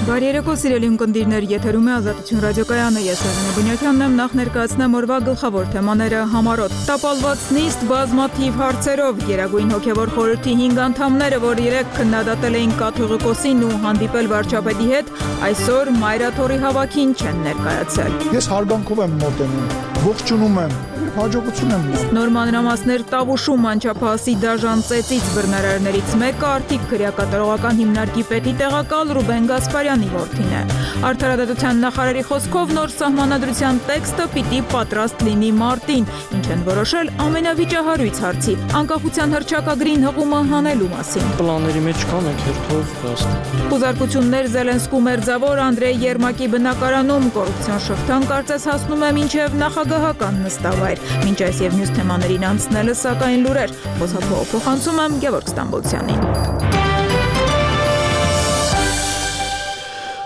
Բարի երեկո, սիրելի ունկնդիրներ, եթերում է Ազատություն ռադիոկայանը, ես Եղենե Բունյակյանն եմ, նախ ներկայացնեմ օրվա գլխավոր թեմաները համառոտ։ Տապալված նիստ բազմաթիվ հարցերով, Գերագույն հոգևոր խորհրդի 5 անդամները, որ երեկ քննադատել էին կաթողիկոսին ու հանդիպել վարչապետի հետ, այսօր մայրաթորի հավաքին չեն ներկայացել։ Ես հարգանքով եմ մոտենում, ողջունում եմ, հաջողություն եմ ուզում։ Նոր մանրամասներ Տավուշում անչափահասի դաժան ծեծից բռնարարներից մեկը Արթիկ քրեակատարողական հիմնարկի պետի տեղակալ Ռուբեն Գասպարյանի որդին է։ Արդարադատության նախարարի խոսքով նոր սահմանադրության տեքստը պիտի պատրաստ լինի մարտին, ինչ են որոշել ամենավիճահարույց հարցի՝ անկախության հռչակագրին հղումը հանելու մասին։ Պլանների մեջ կան հերթով հաստ։ Խուզարկություններ Զելենսկու մերձավոր Անդրեյ Երմակի բնակարանում կոռուպցիոն շղթան կարծես հասնում է մինչև նախագահական նստավայր։ Մինչ այս եւ մյուս թեմաներին անցնելը սակայն լուրեր։ Խոսափողը փոխանցում եմ Գևորգ Ստամբոլցյանին։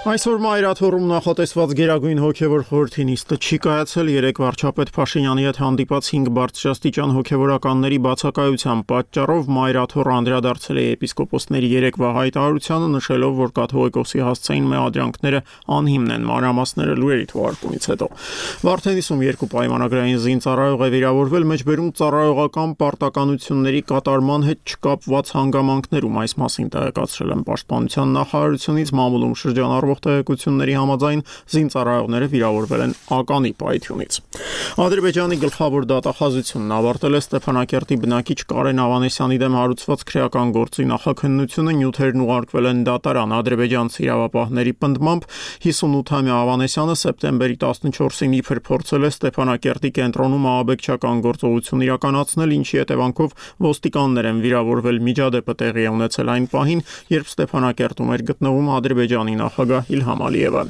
Այսօր մայրաթոռում նախատեսված Գերագույն հոգևոր խորհրդի նիստը չի կայացել, երեկ վարչապետ Փաշինյանի հետ հանդիպած 5 բարձրաստիճան հոգևորականների բացակայության պատճառով մայրաթոռը անդրադարձել է եպիսկոպոսների երեկվա հայտարարությանը, նշելով, որ կաթողիկոսի հասցեին մեղադրանքները անհիմն են, մանրամասները լուրերի թողարկումից հետո։ Վարդենիսում 2 պայմանագրային զինծառայող է վիրավորվել, մեջբերում ծառայողական պարտականությունների կատարման հետ չկապված հանգամանքներում, այս մասին տեղեկացրել են Պաշտպանության նախարարությունից, մամուլում շրջանառվող տեղեկությունների համաձայն զինծառայողները վիրավորվել են ականի պայթյունից։ Ադրբեջանի գլխավոր դատախազությունն ավարտել է Ստեփանակերտի բնակիչ Կարեն Ավանեսյանի դեմ հարուցված քրեական գործի նախաքննությունը, նյութերն ուղարկվել են դատարան։ Ադրբեջանցի իրավապահների պնդմամբ 58-ամյա Ավանեսյանը սեպտեմբերի 14-ին իբր փորձել է Ստեփանակերտի կենտրոնում ահաբեկչական գործողություն իրականացնել, ինչի հետևանքով ոստիկաններ են վիրավորվել։ Միջադեպը տեղի է ունեցել այն պահին, երբ Ստեփանակերտում էր գտնվում Ադրբեջանի նախագահ Իլհամ Ալիևը։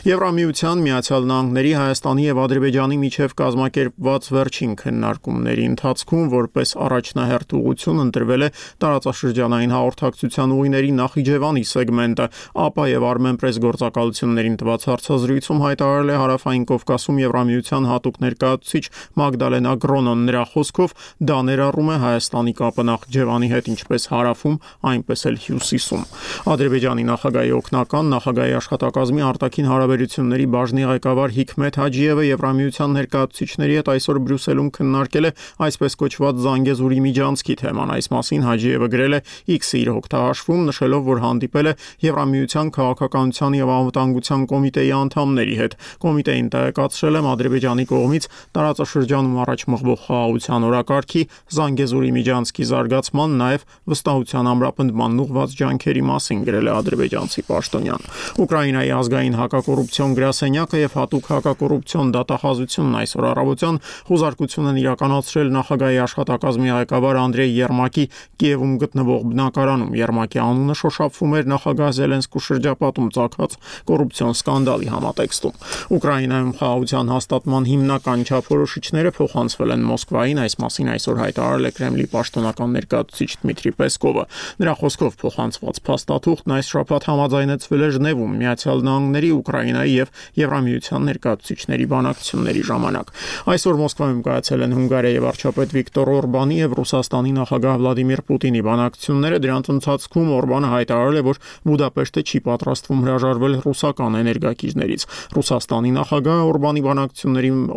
Եվրամիության, Միացյալ Նահանգների, Հայաստանի եւ Ադրբեջանի միջև կազմակերպված վերջին քննարկումների ընթացքում որպես առաջնահերթ ուղղություն ընտրվել է տարածաշրջանային հաղորդակցության ուղիների Նախիջևանի սեգմենտը։ ԱՊԱ եւ Armenpress գործակալություններին տված հարցազրույցում հայտարարել է Հարավային Կովկասում Եվրամիության հատուկ ներկայացուցիչ Մագդալենա Գրոնոն։ Նրա խոսքով դա ներառում է Հայաստանի կապը Նախիջևանի հետ ինչպես հարավում, այնպես էլ հյուսիսում։ Ադրբեջանի նախագահի օգնական նախագահի աշխատակազմի արտաքին հարաբերությունների բաժնի ղեկավար Հիքմեթ Հաջիևը Եվրամիության ներկայացուցիչների հետ այսօր Բրյուսելում քննարկել է այսպես կոչված Զանգեզուրի միջանցքի թեման։ Այս մասին Հաջիևը գրել է X-ի իր հոկտահաշվում, նշելով, որ հանդիպել է Եվրամիության քաղաքականության եւ անվտանգության կոմիտեի անդամների հետ։ Կոմիտեին տեղեկացրել եմ Ադրբեջանի կողմից տարածաշրջանում առաջ մղվող խաղաղության օրակարգի, Զանգեզուրի միջանցքի զարգացման, նաեւ վստահության ամրապնդման ուղղված ջանքերի մասին, գրել է ադրբեջանցի պաշտոնյան։ Ուկրաինայի ազգային հակակոռուպցիոն գրասենյակը եւ հատուկ հակակոռուպցիոն դատախազությունն այսօր առավոտյան խուզարկություն են իրականացրել նախագահի աշխատակազմի ղեկավար Անդրեյ Երմակի Կիևում գտնվող բնակարանում։ Երմակի անունը շոշափվում էր նախագահ Զելենսկու շրջապատում ծագած կոռուպցիոն սկանդալի համատեքստում։ Ուկրաինայում խաղաղության հաստատման հիմնական չափորոշիչները փոխանցվել են Մոսկվային, այս մասին այսօր հայտարարել է Կրեմլի պաշտոնական ներկայացուցիչ Դմիտրի Պեսկովը։ Նրա խոսքով փոխանցված փաստաթուղթն այս շաբաթ համաձայնեցվել է Ժնևում Միացյալ Նահանգների, Ուկրաինայի եւ Եվրամիության ներկայացուցիչների բանակցությունների ժամանակ։ Այսօր Մոսկվայում կայացել են Հունգարիայի վարչապետ Վիկտոր Օրբանի եւ Ռուսաստանի նախագահ Վլադիմիր Պուտինի բանակցությունները։ Դրանց ընթացքում Օրբանը հայտարարել է, որ Բուդապեշտը չի պատրաստվում հրաժարվել ռուսական էներգակիրներից։ Ռուսաստանի նախագահը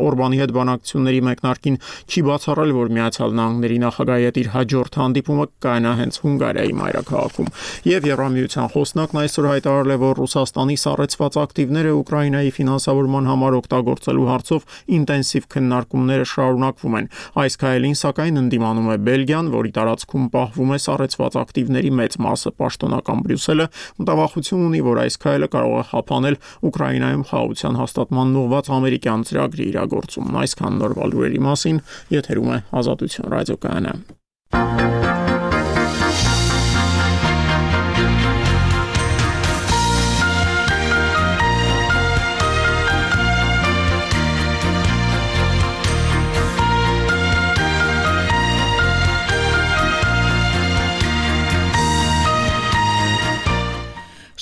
Օրբանի հետ բանակցությունների մեկնարկին չի բացառել, որ Միացյալ Նահանգների նախագահի հետ իր հաջորդ հանդիպումը կայանա հենց Հունգարիայի մայրաքաղաքում։ Եվ Եվրամիության խոսնակն այսօր հայտարարել է, որ Ռուսաստանի սառեցված ակտիվները Ուկրաինայի ֆինանսավորման համար օգտագործելու հարցով ինտենսիվ քննարկումները շարունակվում են։ Այս քայլին սակայն ընդդիմանում է Բելգիան, որի տարածքում պահվում է սառեցված ակտիվների մեծ մասը։ Պաշտոնական Բրյուսելը մտավախություն ունի, որ այս քայլը կարող է խափանել Ուկրաինայում խաղաղության հաստատման ուղղված ամերիկյան ծրագրի իրագործումն։ Այսքան նորվա լուրերի մասին, եթերում է Ազատություն ռադիոկայանը։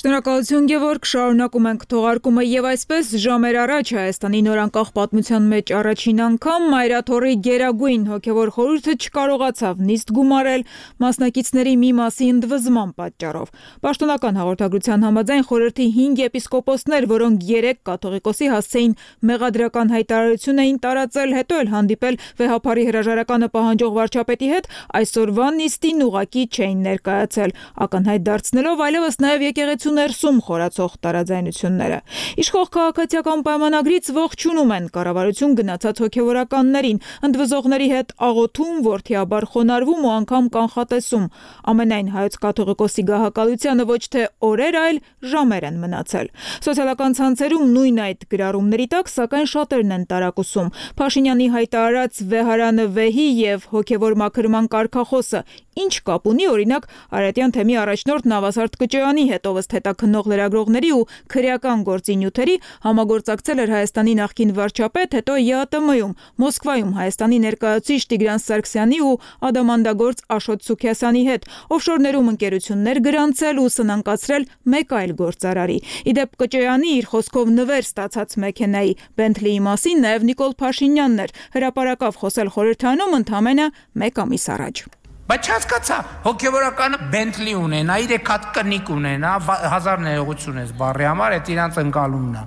Շնորհակալություն Գևորգ, շարունակում ենք թողարկումը եւ այսպես ժամեր առաջ Հայաստանի նորանկախ պատմության մեջ առաջին անգամ Մայրաթորի գերագույն հոգեվոր խորհուրդը չկարողացավ նիստ գումարել մասնակիցների մի մասի ընդվզման պատճառով։ Պաշտոնական հաղորդագրության համաձայն խորհրդի 5 եպիսկոպոսներ, որոնք 3 կաթողիկոսի հասցեին մեղադրական հայտարարություն էին տարածել, հետո էլ հանդիպել վեհափարի հրաժարականը պահանջող վարչապետի հետ, այսօրվա նիստին ուղղակի չէին ներկայացել, ակնհայտ դարձնելով այլևս նաեւ եկեղեցու ներսում խորացող տարաձայնությունները։ Իշխող քաղաքացիական պայմանագրից ողջունում են կառավարություն գնացած հոգևորականներին, ընդվզողների հետ աղոթում, որդիաբար խոնարհվում ու անգամ կանխատեսում։ Ամենայն հայոց կաթողիկոսի գահակալությանը ոչ թե օրեր, այլ ժամեր են մնացել։ Սոցիալական ցանցերում նույն այդ գրառումների տակ, սակայն շատերն են տարակուսում։ Փաշինյանի հայտարարած վեհարանը վեհի եւ հոգևոր մաքրման կարգախոսը ինչ կապ ունի օրինակ Արարատյան թեմի առաջնորդ Նավասարդ Կճոյանի հետ, ով ըստ հետաքննող լրագրողների ու քրեական գործի նյութերի համագործակցել էր Հայաստանի նախկին վարչապետ, հետո ԵԱՏՄ-ում, Մոսկվայում Հայաստանի ներկայացուցիչ Տիգրան Սարգսյանի ու ադամանդագործ Աշոտ Սուքիասյանի հետ, օֆշորներում ընկերություններ գրանցել ու սնանկացրել մեկ այլ գործարարի։ Իդեպ Կճոյանի իր խոսքով նվեր ստացած մեքենայի Բենթլիի մասին նաև Նիկոլ Փաշինյանն էր հրապարակավ խոսել խորհրդանում ընդամենը 1 ամիս առաջ։ Բայց չհասկացա, հոգևորականը Բենթլի ունենա, 3 հատ կնիկ ունենա, 1000 ներողություն ես բառի համար, այդ իրանց ընկալումն է։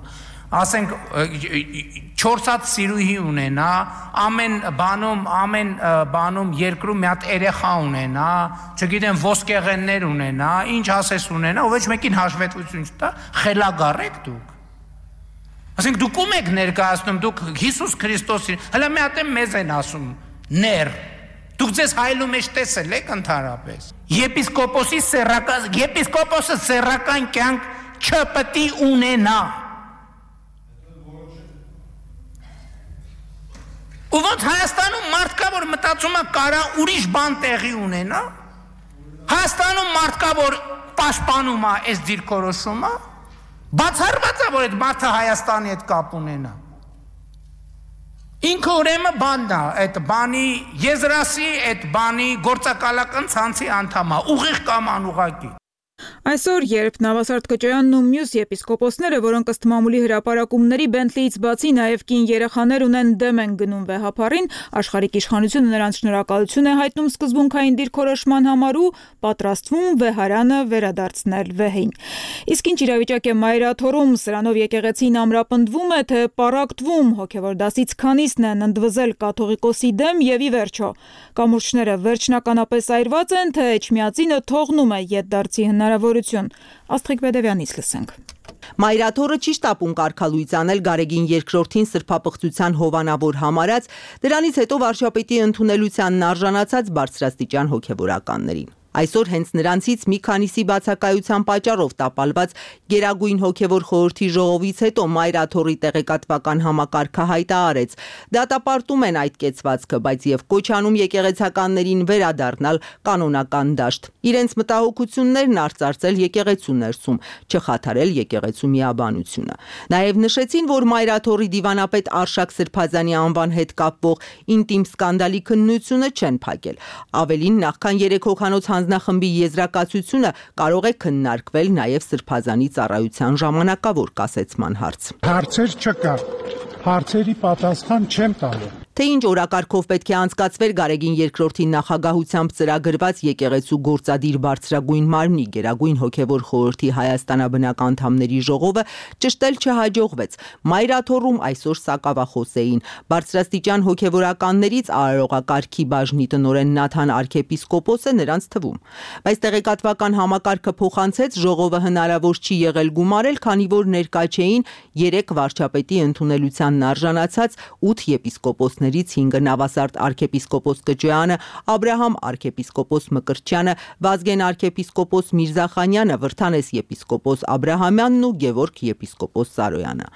Ասենք 4 հատ սիրուհի ունենա, ամեն բանում երկրում մի հատ երեխա ունենա, չգիտեմ ոսկեղեններ ունենա, ինչ ասես ունենա, ու ոչ մեկին հաշվետվություն չտա, խելագար եք դուք։ Ասենք դուք ում եք ներկայացնում, դուք Հիսուս Քրիստոսին, հələ մի հատ մեզ են ասում, ներ։ Դուք ձեզ հայլու մեջ տեսել եք ընդհանրապես։ Եպիսկոպոսը սեռական կյանք չպետք է ունենա։ Ու ոնց Հայաստանում մարդ կա, որ մտածում է կարա ուրիշ բան տեղի ունենա։ Հայաստանում մարդ կա, որ պաշտպանում է այս դիրքորոշումը։ Բացառված է, որ այդ մարդը Հայաստանի հետ կապ ունենա։ Ինքը ուրեմն բանն է, այդ բանի եզրասի, այդ բանի գործակալական ցանցի անդամ է, ուղիղ կամ անուղղակի։ Այսօր, երբ Նավասարդ Կճոյանն ու մյուս եպիսկոպոսները, որոնք ըստ մամուլի հրապարակումների Բենթլիից բացի նաև կին երեխաներ ունեն, դեմ են գնում վեհափարին, աշխարհիկ իշխանությունը նրանց շնորհակալություն է հայտնում սկզբունքային դիրքորոշման համար ու պատրաստվում վեհարանը վերադարձնել վեհին։ Իսկ ինչ իրավիճակ է Մայրաթորում, սրանով եկեղեցին ամրապնդվում է, թե պառակտվում, հոգևոր դասից քանիսն են ընդվզել կաթողիկոսի դեմ եւ ի վերջո կամուրջները վերջնականապես այրված են, թե Էջմիածինը թողնում է ետդարձի հնարավորություն։ Աստղիկ Բեդևյանից լսենք։ Մայրաթորը չի շտապում կարգալույծ անել Գարեգին II-ին սրբապղծության հովանավոր համարած, դրանից հետո վարչապետի ընդունելությանն արժանացած բարձրաստիճան հոգևորականներին։ Այսօր հենց նրանցից մի քանիսի բացակայության պատճառով տապալված Գերագույն հոգևոր խորհրդի ժողովից հետո Մայրաթորի տեղեկատվական համակարգը հայտարարեց. դատապարտում են այդ կեցվածքը, բայց եւ կոչ անում եկեղեցականներին վերադառնալ կանոնական դաշտ։ Իրենց մտահոգություններն արծարծել եկեղեցու ներսում, չխաթարել եկեղեցու միաբանությունը։ Նաեւ նշեցին, որ Մայրաթորի դիվանապետ Արշակ Սրբազանի անվան հետ կապվող ինտիմ սկանդալի քննությունը չեն փակել։ Ավելին, նախքան 3 հոգանոց հանձնախմբի եզրակացությունը կարող է քննարկվել նաև Սրբազանի ծառայության ժամանակավոր կասեցման հարց։ Հարցեր չկա, հարցերի պատասխան չեմ տալու։ Թե ինչ օրակարգով պետք է անցկացվեր Գարեգին II-ի նախագահությամբ ծրագրված եկեղեցու գործադիր բարձրագույն մարմնի Գերագույն հոգևոր խորհրդի հայաստանաբնակ անդամների ժողովը ճշտել չհաջողվեց։ Մայրաթորում այսօր սակավախոս էին։ Բարձրաստիճան հոգևորականներից արարողակարգի բաժնի տնօրեն Նաթան arczepiskopos-ը նրանց թվում։ Բայց տեղեկատվական համակարգը փոխանցեց, ժողովը հնարավոր չի եղել գումարել, քանի որ ներկա չէին 3 վարչապետի ընդունելությանն արժանացած 8 եպիսկոպոսներ 5 Նավասարդ arczepiskopos Կճոյանը, Աբրահամ arczepiskopos Մկրտչյանը, Վազգեն arczepiskopos Միրզախանյանը, Վրթանես եպիսկոպոս Աբրահամյանն ու Գևորգ եպիսկոպոս Սարոյանը։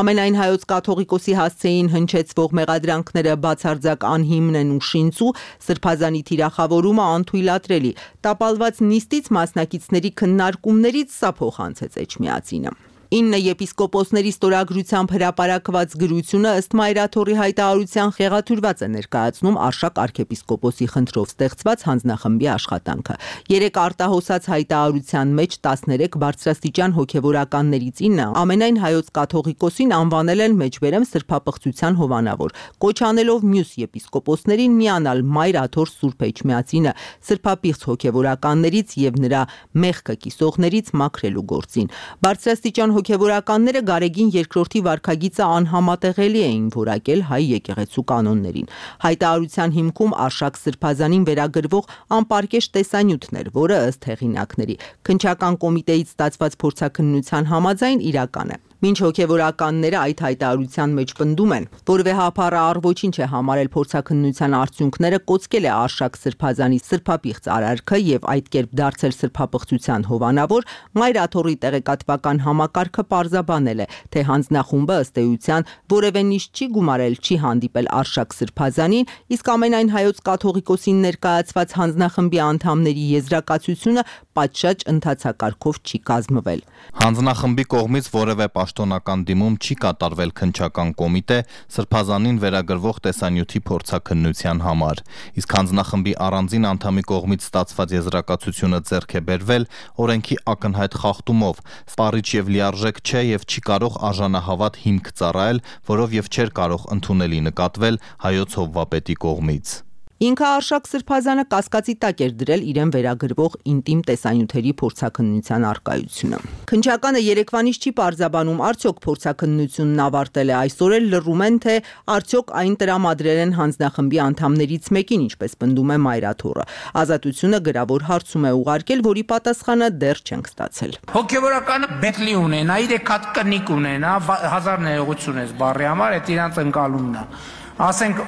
Ամենայն հայոց կաթողիկոսի հասցեին հնչեցվող մեղադրանքները բացարձակ անհիմն են ու շինծու, Սրբազանի թիրախավորումը անթույլատրելի։ Տապալված նիստից մասնակիցների քննարկումներից սա փոխանցեց Էջմիածինը։ 9 եպիսկոպոսների ստորագրությամբ հրապարակված գրությունը ըստ Մայրաթորի հայտարարության խեղաթյուրված է ներկայացնում Արշակ arքեպիսկոպոսի խնդրով ստեղծված հանձնախմբի աշխատանքը։ 3 արտահոսած հայտարարության մեջ 13 բարձրաստիճան հոգևորականներից 9 ամենայն հայոց կաթողիկոսին անվանել են մեջբերեմ սրբապղծության հովանավոր, կոչ անելով մյուս եպիսկոպոսներին միանալ Մայրաթոր Սուրբ Էջմիածինը սրբապիղծ հոգևորականներից եւ նրա մեղքը կիսողներից մաքրելու գործին։ Բարձրաստիճան հոգևորականները Գարեգին II վարքագիծը անհամատեղելի էին որակել հայ եկեղեցու կանոններին։ Հայտարարության հիմքում Արշակ Սրբազանին վերագրվող անպարկեշտ տեսանյութներ, որը ըստ հեղինակների քննչական կոմիտեից ստացված փորձաքննության համաձայն իրական է։ Մինչ հոգևորականները այդ հայտարարության մեջ պնդում են, որ վեհափառը առ ոչինչ է համարել փորձաքննության արդյունքները, կոծկել է Արշակ Սրբազանի սրբապիղծ արարքը եւ այդ կերպ դարձել սրբապղծության հովանավոր, Մայրաթորի տեղեկատվական համակարգը պարզաբանել է, թե հանձնախումբը ըստ էության որևէ նիշ չի գումարել, չի հանդիպել Արշակ Սրբազանին, իսկ ամենայն հայոց կաթողիկոսին ներկայացված հանձնախմբի անդամների եզրակացությունը պատշաճ ընթացակարգով չի կազմվել։ Հանձնախմբի կողմից որևէ պաշտոնական դիմում չի կատարվել քննչական կոմիտե Սրբազանին վերագրվող տեսանյութի փորձաքննության համար, իսկ հանձնախմբի առանձին անդամի կողմից ստացված եզրակացությունը ձեռք է բերվել օրենքի ակնհայտ խախտումով, սպառիչ եւ լիարժեք չէ եւ չի կարող արժանահավատ հիմք ծառայել, որով եւ չէր կարող ընդունելի նկատվել հայոց հովվապետի կողմից։ Ինքը Արշակ Սրբազանը կասկածի տակ էր դրել իրեն վերագրվող ինտիմ տեսանյութերի փորձաքննության առկայությունը։ Քննչականը երեկվանից չի պարզաբանում, արդյոք փորձաքննությունն ավարտել է, այսօր էլ լռում են, թե արդյոք այն տրամադրել են հանձնախմբի անդամներից մեկին, ինչպես պնդում է Մայրաթորը։ Ազատությունը գրավոր հարցում է ուղարկել, որի պատասխանը դեռ չենք ստացել։ Հոգևորականը Բենթլի ունենա, իր կնիկ ունենա, 1000 ներողություն ես բառի համար, այդ իրանց ընկալումն է։ Ասենք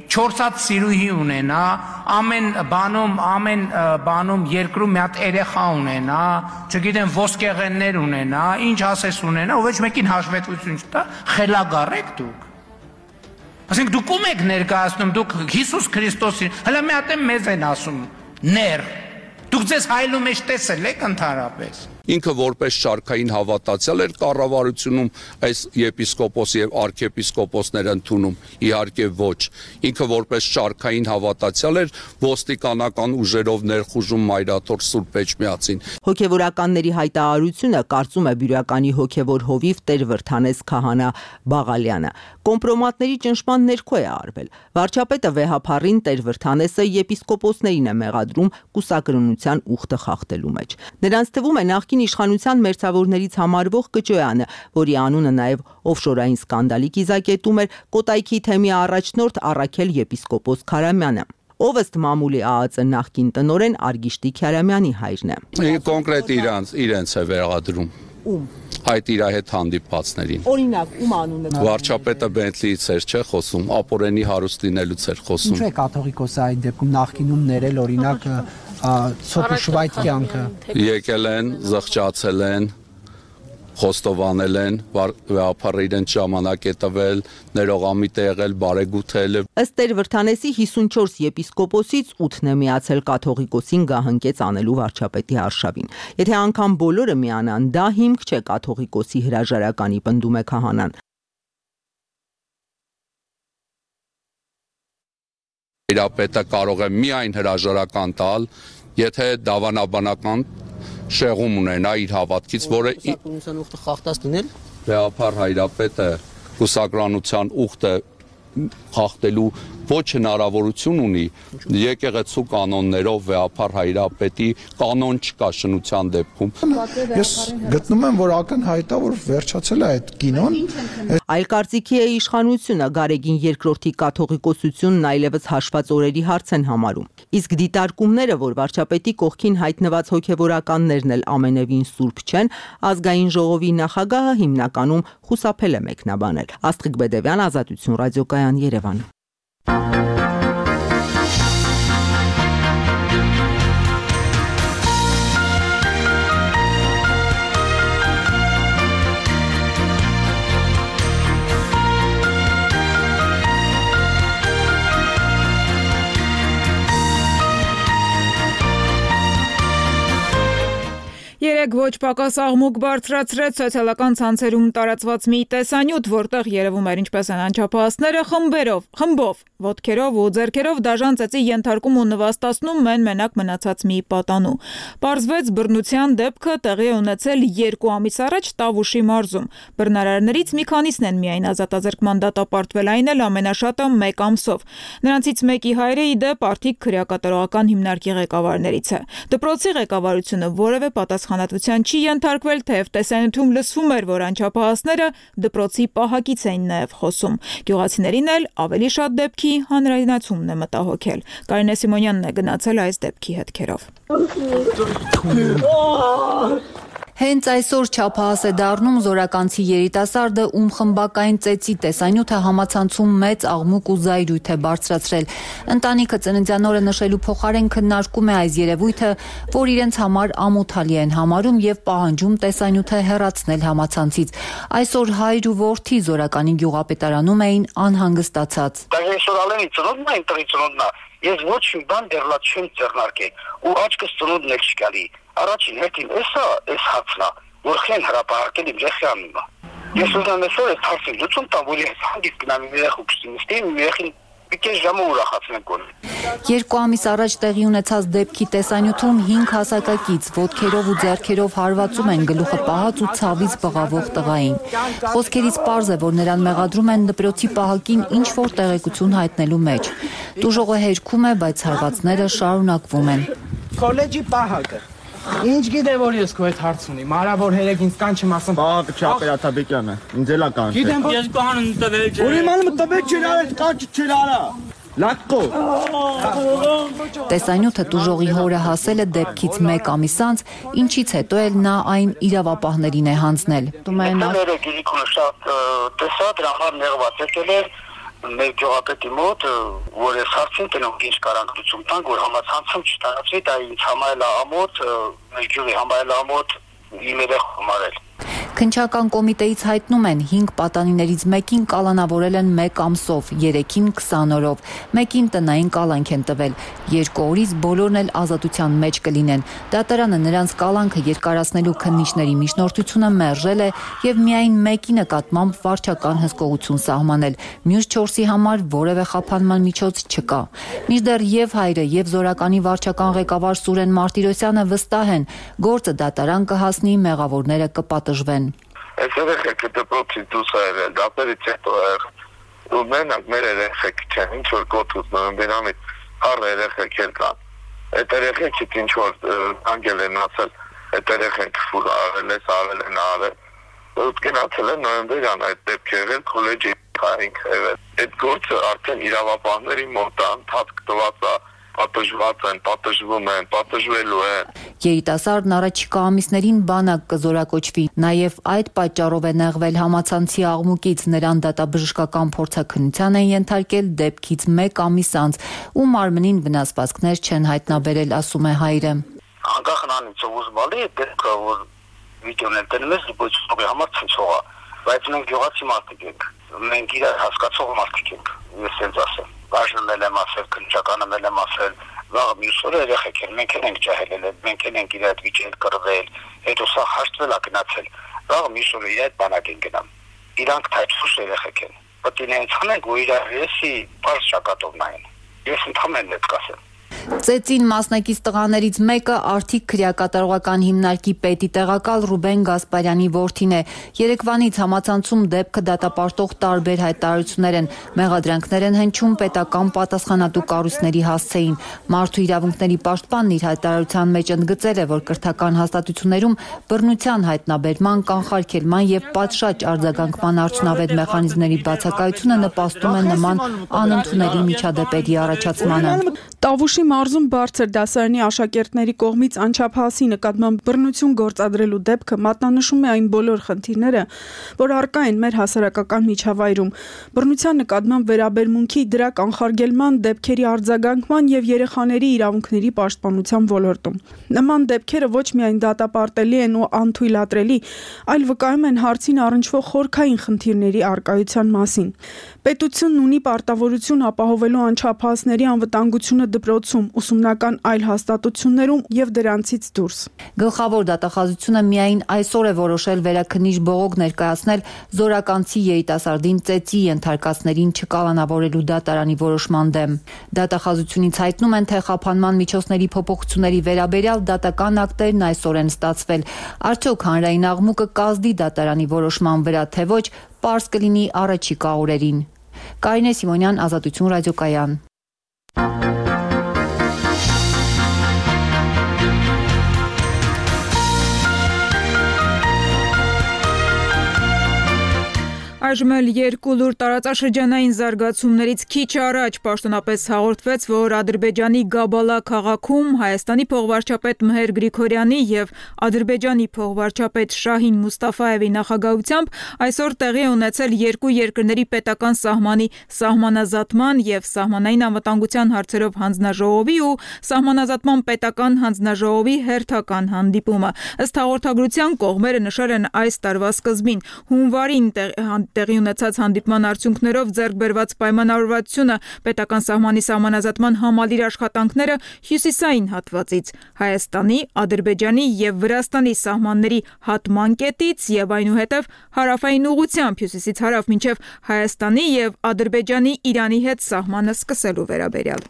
4 հատ սիրուհի ունենա, ամեն բանում երկրում մի հատ երեխա ունենա, չգիտեմ ոսկեղեններ ունենա, ինչ ասես ունենա, ու ոչ մեկին հաշվետվություն չտա, խելագար եք դուք։ Ասենք դուք ում եք ներկայացնում, դուք Հիսուս Քրիստոսին, հələ մի հատ մեզ են ասում, ներ։ Դուք ձեզ հայլու մեջ տեսել եք ընդհանրապես։ Ինքը որպես շարքային հավատացյալ էր կառավարությունում այս եպիսկոպոս եւ արքեպիսկոպոսներ ընդունում, իհարկե ոչ։ Ինքը որպես շարքային հավատացյալ էր ոստիկանական ուժերով ներխուժում Մայրաթոր Սուրբ Էջմիածին։ Հոգևորականների հայտարարությունը կարծում է բյուրականի հոգևոր հովիվ Տեր Վրթանես քահանա Բաղալյանը։ Կոմպրոմատների ճնշման ներքո է արվել։ Վարչապետը վեհափառին Տեր Վրթանեսը եպիսկոպոսներին է մեղադրում կուսակրոնության ուխտը խախտելու մեջ։ Նրանց թվում է նախկին իշխանության մերձավորներից համարվող Կճոյանը, որի անունը նաև օֆշորային սկանդալի կիզակետում էր Կոտայքի թեմի առաջնորդ Առաքել եպիսկոպոս Քարամյանը, ով ըստ մամուլի ԱԱԾ նախկին տնօրեն Արգիշտի Քյարամյանի հայրն է։ Կոնկրետ իրենց է վերադրում։ Ում։ Այդ իր հետ հանդիպվածներին։ Օրինակ, ում անունը։ Վարչապետը Բենթլիից էր չէ խոսում, ապորենի հարուստ լինելուց էր խոսում։ Ինչու է կաթողիկոսը այդ դեպքում նախկինում ներել օրինակ Սոկուշվայտ կյանքը։ Եկել են, զղջացել են, խոստովանել են, վեհափառը իրենց ժամանակ է տվել, ներողամիտ է եղել, բարեգութել։ Ըստ Տեր Վրթանեսի 54 եպիսկոպոսից 8-ն է միացել կաթողիկոսին գահընկեց անելու վարչապետի արշավին։ Եթե անգամ բոլորը միանան, դա հիմք չէ կաթողիկոսի հրաժարականի, պնդում է քահանան։ Իրապետը կարող է միայն հրաժարական տալ, եթե դավանաբանական շեղում ունենա իր հավատքից, որը ուխտը խախտած դնել։ Վեհափառ հայրապետը կուսակրանության ուխտը խախտելու ոչ հնարավորություն ունի եկեղեցու կանոններով վեհափառ հայրապետի կանոն չկա շնության դեպքում։ Ես գտնում եմ, որ ակնհայտ է, որ վերջացել է այդ կինոն։ Այլ կարծիքի է իշխանությունը, Գարեգին II կաթողիկոսությունն այլևս հաշված օրերի հարց են համարում։ Իսկ դիտարկումները, որ վարչապետի կողքին հայտնված հոգևորականներն էլ ամենևին սուրբ չեն, ազգային ժողովի նախագահը հիմնականում խուսափել է մեկնաբանել։ Աստղիկ Բեդևյան, Ազատություն ռադիոկայան, Երևան։ երեկ ոչ պակաս աղմուկ բարձրացրեց սոցիալական ցանցերում տարածված մի տեսանյութ, որտեղ երևում էր ինչպես են անչափահասները խմբով, ոտքերով ու ձեռքերով դաժան ծեծի ենթարկում ու նվաստացնում մենակ մնացած մի պատանու։ Պարզվեց բռնության դեպքը տեղի է ունեցել 2 ամիս առաջ Տավուշի մարզում։ Բռնարարներից մի քանիսն են միայն ազատազրկման դատապարտվել, այն էլ ամենաշատը 1 ամսով։ Նրանցից մեկի հայրը ի դեպ Արդիկ քրեակատարողական հիմնարկի ղեկավարներից է։ Դպրոցի ղեկավարությունը որևէ պատասխանատվության չի ենթարկվել, թեև տեսանյութում լսվում էր, որ անչափահասները դպրոցի պահակից էին նաև խոսում։ Գյուղացիներին էլ ավելի շատ դեպքի հանրայնացումն է մտահոգել։ Կարինե Սիմոնյանն է գնացել այս դեպքի հետքերով։ Հենց այսօր չափահաս է դառնում զորականցի երիտասարդը, ում խմբակային ծեծի տեսանյութը համացանցում մեծ աղմուկ ու զայրույթ է բարձրացրել։ Ընտանիքը ծննդյան օրը նշելու փոխարեն քննարկում է այս երևույթը, որ իրենց համար ամոթալի են համարում եւ պահանջում տեսանյութը հեռացնել համացանցից։ Այսօր հայր ու որդի զորականի գյուղապետարանում էին անհանգստացած։ Ես ոչ մի բան դեռլաց չեմ ձեռնարկել ու աչքս ծնունդն էլ չկալի։ Առաջին հերթին էս հացն է, որ խեն հրապարակել իմ երեխի անունը։ Ես ուզում եմ այսօր այս հարցը լուծում տամ, որ ես հանգիստ գնամ իմ երեխու քստի նստի, իմ երեխին պիտի ժամը ուրախացնենք գոնե։ 2 ամիս առաջ տեղի ունեցած դեպքի տեսանյութում 5 հասակակից ոտքերով ու ձեռքերով հարվածում են գլուխը պահած ու ցավից բղավող տղային։ Խոսքերից պարզ է, որ նրան մեղադրում են դպրոցի պահակին ինչ-որ տեղեկություն հայտնելու մեջ։ Տուժողը հերքում է, բայց հարվածները շարունակվում են։ Քոլեջի պահակը Ինչ գիտե որ ես քո հետ հարց ունի, մարավոր հերեկ ինձ կանչեմ ասեմ։ Պահակը Չապերաթաբեկյանը, ինձ էլա կանչել։ Գիտեմ ես բանն տվել չէ։ Ուրեմն տվել չէ, արել կանչ չէ արա։ Լատկո։ Տեսանյութը տուժողի հորը հասել է դեպքից 1 ամիս անց, ինչից հետո էլ նա այն իրավապահներին է հանձնել։ Մեր գյուղապետի մոտ, որ ես հարցին տնող ինչ կարանք լուծում տանք, որ համացանցում չտանացվի, դա ինձ համայել ամոթ, մեր գյուղի համայել ամոթ իմ երեխու համարել։ Քննչական կոմիտեից հայտնում են 5 պատանիներից մեկին կալանավորել են 1 ամսով, 3-ին 20 օրով, մեկին տնային կալանք են տվել, 2 օրից բոլորն էլ ազատության մեջ կլինեն։ Դատարանը նրանց կալանքը երկարացնելու քննիչների միջնորդությունը մերժել է եւ միայն մեկի նկատմամբ վարչական հսկողություն սահմանել։ Մյուս 4-ի համար որևէ խափանման միջոց չկա։ Մինչդեռ եւ հայրը եւ զորականի վարչական ղեկավար Սուրեն Մարտիրոսյանը վստահ են, գործը դատարան կհասնի, մեղավորները կպատժվեն։ Այս երեխեքը դպրոցից դուրս եկել, դապերից հետո եղել։ Ու մենակ մեր երեխեք չեն, ինչ որ կոթուց նոյեմբերամից առ երեխեք կան։ Այդ երեխեքից ինչ որ անգել են ասել, այդ երեխեք ֆուլ արել են արել։ Ու գնացել են նոյեմբերյան այդ դեպք եղել քոլեջի քայնք եղել։ Այդ գործը արդեն իրավապահների մոտ ընդհանուր տված է։ Պատժված են, պատժվում են, պատժվելու են։ Երիտասարդն առաջիկա ամիսներին բանակ կզորակոչվի, նաև այդ պատճառով է նեղվել համացանցի աղմուկից, նրան դատաբժշկական փորձաքննության են ենթարկել դեպքից 1 ամիս անց, ու մարմնին վնասվածքներ չեն հայտնաբերել, ասում է հայրը։ Անկախ նրանից ով զբաղի է դեպքը, որ վիդեոն են տենում ես դիպոչի համար ցնցող է, բայց մենք գյուղացի մարդիկ ենք, մենք իրար հասկացող մարդիկ ենք, ես ինձ ասեմ։ Բաժնում եմ ասել, քննչականում եմ ասել, վաղ մյուս օրը երեխեք են, մենք ենք ջահելել, մենք ենք իր այդ վիճել կռվել, հետո սա հաշտվել է գնացել, վաղ մյուս օրը իր այդ բանակ են գնամ։ Իրանք թայցուշ երեխեք են, պետք է նրանց հանենք, որ իրար եսի բարձ շակատով նայեն։ Ես ընդհանրեն հետ կասեմ։ Ծեծին մասնակից տղաներից մեկը Արդիկ քրեակատարողական հիմնարկի պետի տեղակալ Ռուբեն Գասպարյանի որդին է։ Երեկվանից համացանցում դեպքը դատապարտող տարբեր հայտարարություններ են, մեղադրանքներ են հնչում պետական պատասխանատու կառույցների հասցեին։ Մարդու իրավունքների պաշտպանն իր հայտարարության մեջ ընդգծել է, որ կրթական հաստատություններում բռնության հայտնաբերման, կանխարգելման եւ պատշաճ արձագանքման արդյունավետ մեխանիզմների բացակայությունը նպաստում է նման անընդունելի միջադեպերի առաջացմանը։ Տավուշի մարզում բարձր դասարանի աշակերտների կողմից անչափահասի նկատմամբ բռնություն գործադրելու դեպքը մատնանշում է այն բոլոր խնդիրները, որ առկա են մեր հասարակական միջավայրում։ Բռնության նկատմամբ վերաբերմունքի, դրա կանխարգելման, դեպքերի արձագանքման եւ երեխաների իրավունքների պաշտպանության ոլորտում։ Նման դեպքերը ոչ միայն դատապարտելի են ու անթույլատրելի, այլ վկայում են հարցին առնչվող խորքային խնդիրների առկայության մասին։ Պետությունն ունի պարտավորություն ապահովելու անչափահասների անվտանգությունը դպրոցում, Երևանում, ուսումնական այլ հաստատություններում եւ դրանցից դուրս։ Գլխավոր դատախազությունը միայն այսօր է որոշել վերաքննիչ բողոք ներկայացնել զորականցի երիտասարդին ծեծի ենթարկածներին չկալանավորելու դատարանի որոշման դեմ։ Դատախազությունից հայտնում են, թե խափանման միջոցների փոփոխությունների վերաբերյալ դատական ակտերն այսօր են ստացվել։ Արդյոք հանրային աղմուկը կազդի դատարանի որոշման վրա, թե ոչ, պարզ կլինի առաջիկա օրերին։ Կարինե Սիմոնյան, Ազատություն ռադիոկայան։ Այժմ էլ երկու լուր տարածաշրջանային զարգացումներից քիչ առաջ պաշտոնապես հաղորդվեց, որ Ադրբեջանի Գաբալա քաղաքում Հայաստանի փոխվարչապետ Մհեր Գրիգորյանի եւ Ադրբեջանի փոխվարչապետ Շահին Մուստաֆաևի նախագահությամբ այսօր տեղի ունեցել երկու երկրների պետական սահմանի սահմանազատման եւ սահմանային անվտանգության հարցերով հանձնաժողովի ու սահմանազատման պետական հանձնաժողովի հերթական հանդիպումը։ Ըստ հաղորդագրության կողմերը նշել են այս տարվա սկզբին հունվարին տեղի ունեցած հանդիպման արդյունքներով ձեռք բերված պայմանավորվածությունը պետական սահմանի սահմանազատման համալիր աշխատանքները հյուսիսային հատվածից Հայաստանի, Ադրբեջանի եւ Վրաստանի սահմանների հատման կետից եւ այնուհետեւ հարավային ուղղությամբ հյուսիսից հարավ մինչեւ Հայաստանի եւ Ադրբեջանի Իրանի հետ սահմանը սկսելու վերաբերյալ։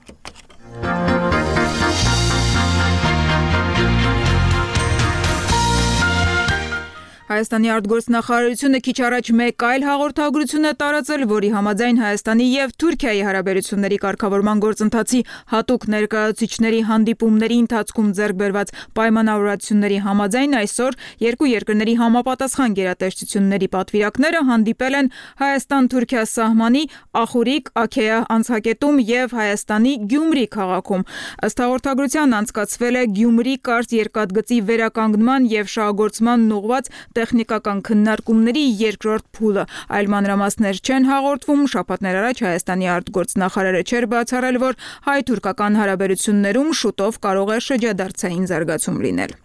Հայաստանի արտգործնախարարությունը քիչ առաջ մեկ այլ հաղորդագրություն է տարածել, որի համաձայն Հայաստանի եւ Թուրքիայի հարաբերությունների կարգավորման գործընթացի հատուկ ներկայացուցիչների հանդիպումների ընթացքում ձեռք բերված պայմանավորվածությունների համաձայն այսօր երկու երկրների համապատասխան գերատեսչությունների պատվիրակները հանդիպել են Հայաստան-Թուրքիա սահմանի Ախուրիկ, Աքեյա անցակետում եւ Հայաստանի Գյումրի քաղաքում։ Ըստ հաղորդագրության անցկացվել է Գյումրի կարճ երկաթգծի վերականգնման եւ շահագործման ուղղված տեխնիկական քննարկումների երկրորդ փուլը։ Այլ մանրամասներ չեն հաղորդվում։ Շաբաթներ առաջ Հայաստանի արտգործնախարարը չէր բացառել, որ հայ-թուրքական հարաբերություններում շուտով կարող է շրջադարձային զարգացում լինել։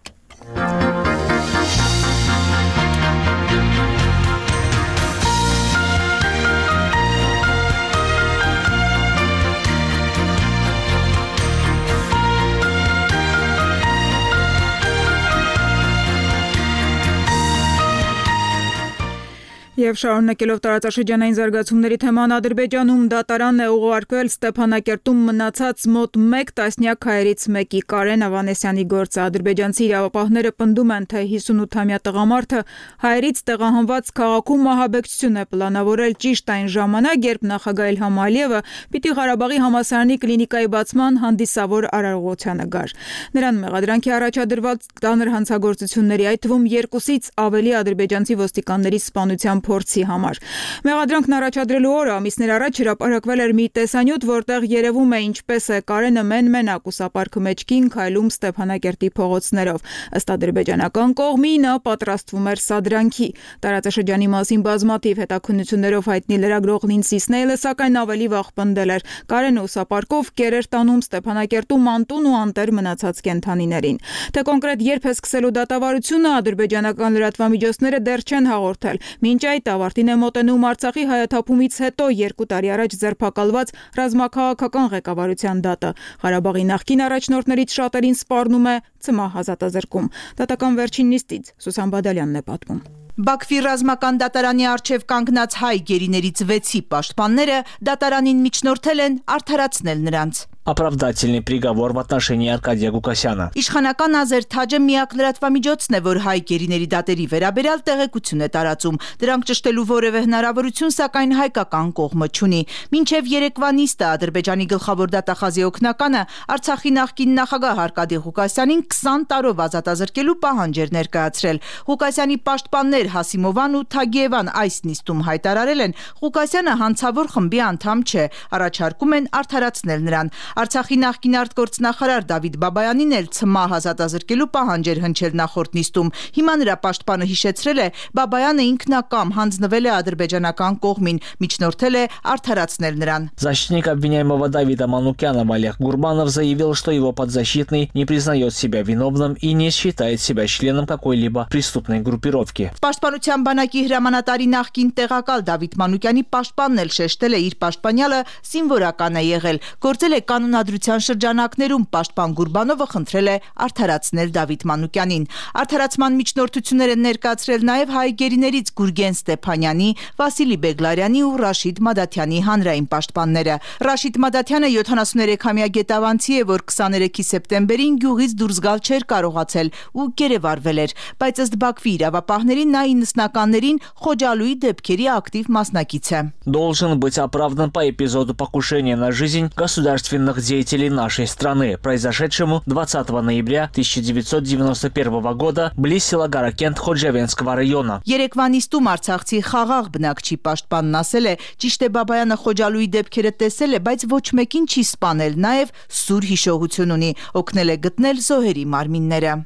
Եվ շարունակելով տարածաշրջանային զարգացումների թեման Ադրբեջանում դատարան է ուղարկվել Ստեփանակերտում մնացած մոտ 1 տասնյակ հայերից մեկի Կարեն Ավանեսյանի գործը։ Ադրբեջանցի իրավապահները պնդում են, թե 58-ամյա տղամարդը հայերից տեղահանված քաղաքում մահաբեկչություն է պլանավորել ճիշտ այն ժամանակ, երբ նախագահ Իլհամ Ալիևը պիտի Ղարաբաղի համալսարանի կլինիկայի բացման հանդիսավոր արարողությանը գար։ Նրան մեղադրանքի առաջադրված ծանր հանցագործությունների, այդ թվում 2-ից ավելի ադրբեջանցի ոստիկանների սպանության փորձի համար։ Մեղադրանքն առաջադրելու օրը ամիսներ առաջ հրապարակվել էր մի տեսանյութ, որտեղ երևում է ինչպես է Կարենը մեն-մենակ ուսապարկը մեջքին քայլում Ստեփանակերտի փողոցներով։ Ըստ ադրբեջանական կողմի նա պատրաստվում էր սադրանքի։ Տարածաշրջանի մասին բազմաթիվ հետաքննություններով հայտնի լրագրող Լինսի Սնեյլը սակայն ավելի վաղ պնդել էր. Կարենը ուսապարկով կեր էր տանում Ստեփանակերտում անտուն ու անտեր մնացած կենդանիներին։ Թե կոնկրետ երբ է սկսելու դատավարությունը, ադրբեջանական լրատվամիջոցները դեռ չեն հաղորդել։ Մինչ այդ ավարտին է մոտենում Արցախի հայաթափումից հետո 2 տարի առաջ ձերբակալված ռազմաքաղաքական ղեկավարության դատը։ Ղարաբաղի նախկին առաջնորդներից շատերին սպառնում է ցմահ ազատազրկում։ Դատական վերջին նիստից Սուսան Բադալյանն է պատմում։ Բաքվի ռազմական դատարանի առջև կանգնած հայ գերիներից 6-ի պաշտպանները դատարանին միջնորդել են արդարացնել նրանց։ Оправдательный приговор в отношении Аркадия Гукасяна. Իշխանական Ազեր Թաջը միակ լրատվամիջոցն է, որ հայ գերիների դատերի վերաբերյալ տեղեկություն է տարածում։ Դրանք ճշտելու որևէ հնարավորություն սակայն հայկական կողմը չունի։ Մինչև երեկվա նիստը Ադրբեջանի գլխավոր դատախազի օգնականը Արցախի նախկին նախագահ Արկադի Ղուկասյանին 20 տարով ազատազրկելու պահանջ էր ներկայացրել։ Ղուկասյանի պաշտպաններ Հասիմովան ու Թագիևան այս նիստում հայտարարել են, Ղուկասյանը հանցավոր խմբի անդամ չէ, առաջարկում են արդարացնել նրան։ Արցախի նախկին արտգործնախարար Դավիթ Բաբայանին էլ ցմահ ազատազրկելու պահանջ էր հնչել նախորդ նիստում։ Հիմա նրա պաշտպանը հիշեցրել է, Բաբայանը ինքնակամ հանձնվել է ադրբեջանական կողմին, միջնորդել է արդարացնել նրան։ Защитник обвиняемого Давида Манукянова Олег Гурбанов заявил, что его подзащитный не признает себя виновным и не считает себя членом какой-либо преступной группировки. Պաշտպանության բանակի հրամանատարի նախկին տեղակալ Դավիթ Մանուկյանի պաշտպանն էլ շեշտել է իր պաշտպանյալը զինվորական է եղել, գործել է կանոնավոր կանոնադրության շրջանակներում պաշտպան Գուրբանովը խնդրել է արդարացնել Դավիթ Մանուկյանին։ Արդարացման միջնորդություններ են ներկայացրել նաև հայ գերիներից Գուրգեն Ստեփանյանի, Վասիլի Բեգլարյանի ու Ռաշիդ Մադաթյանի հանրային պաշտպանները։ Ռաշիդ Մադաթյանը 73-ամյա գետավանցի է, որ 23 սեպտեմբերին գյուղից դուրս գալ չէր կարողացել ու գերեվարվել էր, բայց ըստ Բաքվի իրավապահների նա 90-ականներին Խոջալույի դեպքերի ակտիվ մասնակից է։ Должен быть оправдан по эпизоду покушения на жизнь государственных деятелей нашей страны, произошедшему 20 ноября 1991 года близ села Гаракент Խոջավենսկվա района։ Երեկվանիստում արցախցի խաղաղ բնակչի պաշտպանն ասել է, ճիշտ է Բաբայանը Խոջալույի դեպքերը տեսել է, բայց ոչ մեկին չի սպանել, նաև սուր հիշողություն ունի, օգնել է գտնել զոհերի մարմինները։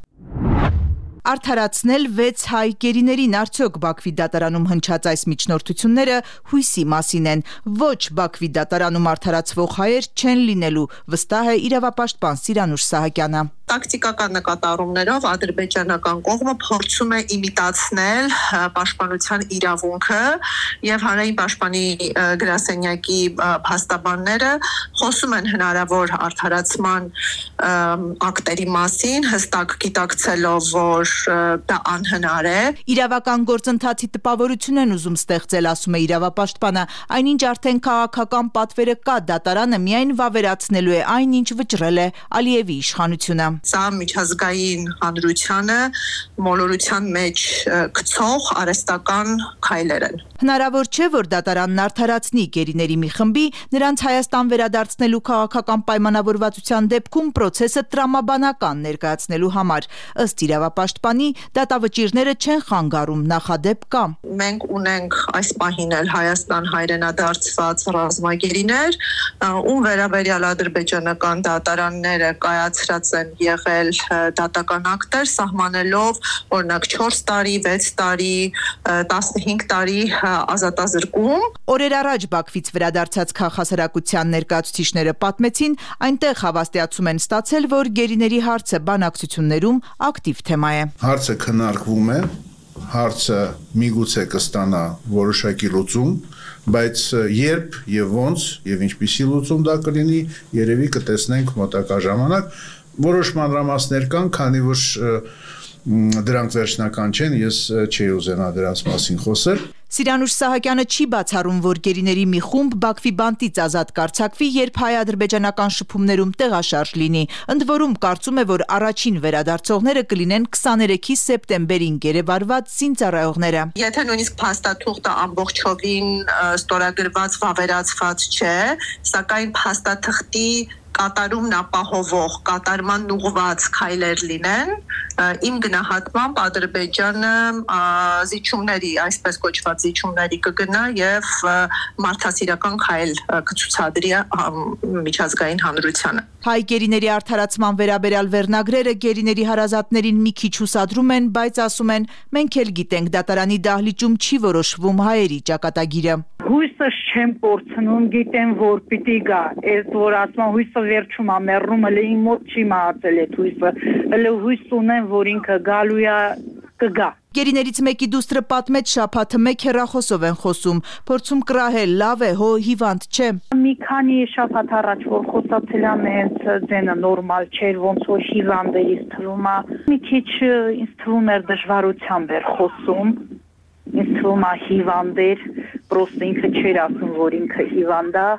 Արդարացնել 6 հայ գերիներին արդյոք Բաքվի դատարանում հնչած այս միջնորդությունները հույսի մասին են։ Ոչ Բաքվի դատարանում արդարացվող հայեր չեն լինելու, վստահ է իրավապաշտպան Սիրանուշ Սահակյանը։ Տակտիկական նկատառումներով ադրբեջանական կողմը փորձում է իմիտացնել պաշտպանության իրավունքը եւ հանրային պաշտպանի գրասենյակի փաստաբանները խոսում են հնարավոր արդարացման ակտերի մասին, հստակ գիտակցելով, որ դա անհնար է։ Իրավական գործընթացի տպավորություն են ուզում ստեղծել, ասում է իրավապաշտպանը, այնինչ արդեն քաղաքական պատվերը կա, դատարանը միայն վավերացնելու է այն, ինչ վճռել է Ալիևի իշխանությունը։ Սա միջազգային հանրությանը մոլորության մեջ գցող արհեստական քայլեր են։ Հնարավոր չէ, որ դատարանն արդարացնի գերիների մի խմբի նրանց Հայաստան վերադարձնելու քաղաքական պայմանավորվածության դեպքում process-ը տրամաբանական ներկայացնելու համար։ Ըստ իրավապաշտպանի, դատավճիռները չեն խանգարում, նախադեպ կա։ Մենք ունենք այս պահին էլ Հայաստան հայրենադարձված ռազմագերիներ, ում վերաբերյալ ադրբեջանական դատարանները կայացրած են եղել դատական ակտեր, սահմանելով օրինակ 4 տարի, 6 տարի, 15 տարի ազատազրկում։ Օրեր առաջ Բաքվից վերադարձած քաղաքասարակության ներկայացուցիչները պատմեցին, այնտեղ հավաստիացում են ստացել, որ գերիների հարցը բանակցություններում ակտիվ թեմա է։ Հարցը քննարկվում է, հարցը միգուցե կստանա որոշակի լուծում, բայց երբ եւ ոնց եւ ինչպիսի լուծում դա կլինի, երևի կտեսնենք մոտակա ժամանակ։ Որոշ մանրամասներ կան, քանի որ դրանք վերջնական չեն, ես չի ուզենա դրանց մասին խոսել։ Սիրանուշ Սահակյանը չի բացառում, որ գերիների մի խումբ Բաքվի բանտից ազատ կարձակվի, երբ հայ-ադրբեջանական շփումներում տեղաշարժ լինի։ Ընդ որում կարծում է, որ առաջին վերադարձողները կլինեն 23 սեպտեմբերին գերեվարված զինծառայողները։ Եթե նույնիսկ փաստաթուղթը ամբողջովին ստորագրված վավերացված չէ, սակայն փաստաթղթի կատարումն ապահովող, կատարման ուղղված քայլեր լինեն, իմ գնահատմամբ Ադրբեջանը զիջումների, այսպես կոչված զիջումների կգնա եւ մարդասիրական քայլ կցուցադրի միջազգային հանրությանը։ Հայ գերիների արդարացման վերաբերյալ վերնագրերը գերիների հարազատներին մի քիչ հուսադրում են, բայց ասում են, մենք էլ գիտենք, դատարանի դահլիճում չի որոշվում հայերի ճակատագիրը։ Հույսս չեմ կորցնում, գիտեմ, որ պիտի գա, այս որ ասում հույսը վերջում է մեռնում, հələ իմ մոտ չի մահացել այդ հույսը, հələ հույս ունեմ, որ ինքը գալու է կգա։ Գերիներից մեկի դուստրը պատմեց, շաբաթը մեկ հեռախոսով են խոսում, փորձում կռահել, լավ է, հո հիվանդ չէ։ Մի քանի շաբաթ առաջ որ խոսացել եմ, հենց ձենը նորմալ չէր, ոնց որ հիվանդ էր, ինձ թվում է, մի քիչ ինձ թվում էր դժվարությամբ էր խոսում, ինձ թվում է հիվանդ էր, պրոստը ինքը չէր ասում, որ ինքը հիվանդ է,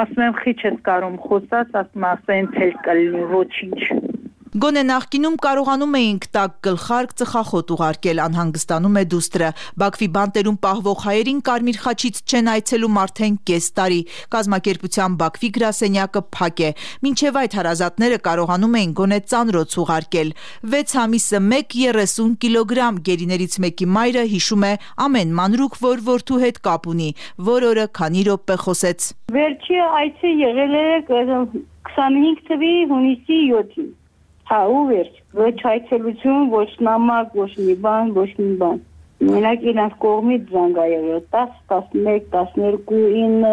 ասում եմ խիչ ես կարում խոսած, ասում ասեն ցել կլինի ոչինչ։ Գոնե նախկինում կարողանում էինք տակ գլխարկ ծխախոտ ուղարկել, անհանգստանում է դուստրը։ Բաքվի բանտերում պահվող հայերին Կարմիր խաչից չեն այցելում արդեն կես տարի։ Կազմակերպության Բաքվի գրասենյակը փակ է։ Մինչև այդ հարազատները կարողանում էին գոնե ծանրոց ուղարկել։ 6 ամիսը 1.30 կիլոգրամ գերիներից մեկի մայրը հիշում է ամեն մանրուք, որ որդու հետ կապ ունի, որ օրը քանի րոպե խոսեց։ Վերջի այցը եղել է 25 թվականի հունիսի 7-ին։ Հա, ու վերջ, ոչ այցելություն, ոչ նամակ, ոչ մի բան, ոչ մի բան։ Մենակ իրանց կողմից զանգ ա եղել 10, 11, 12, 9,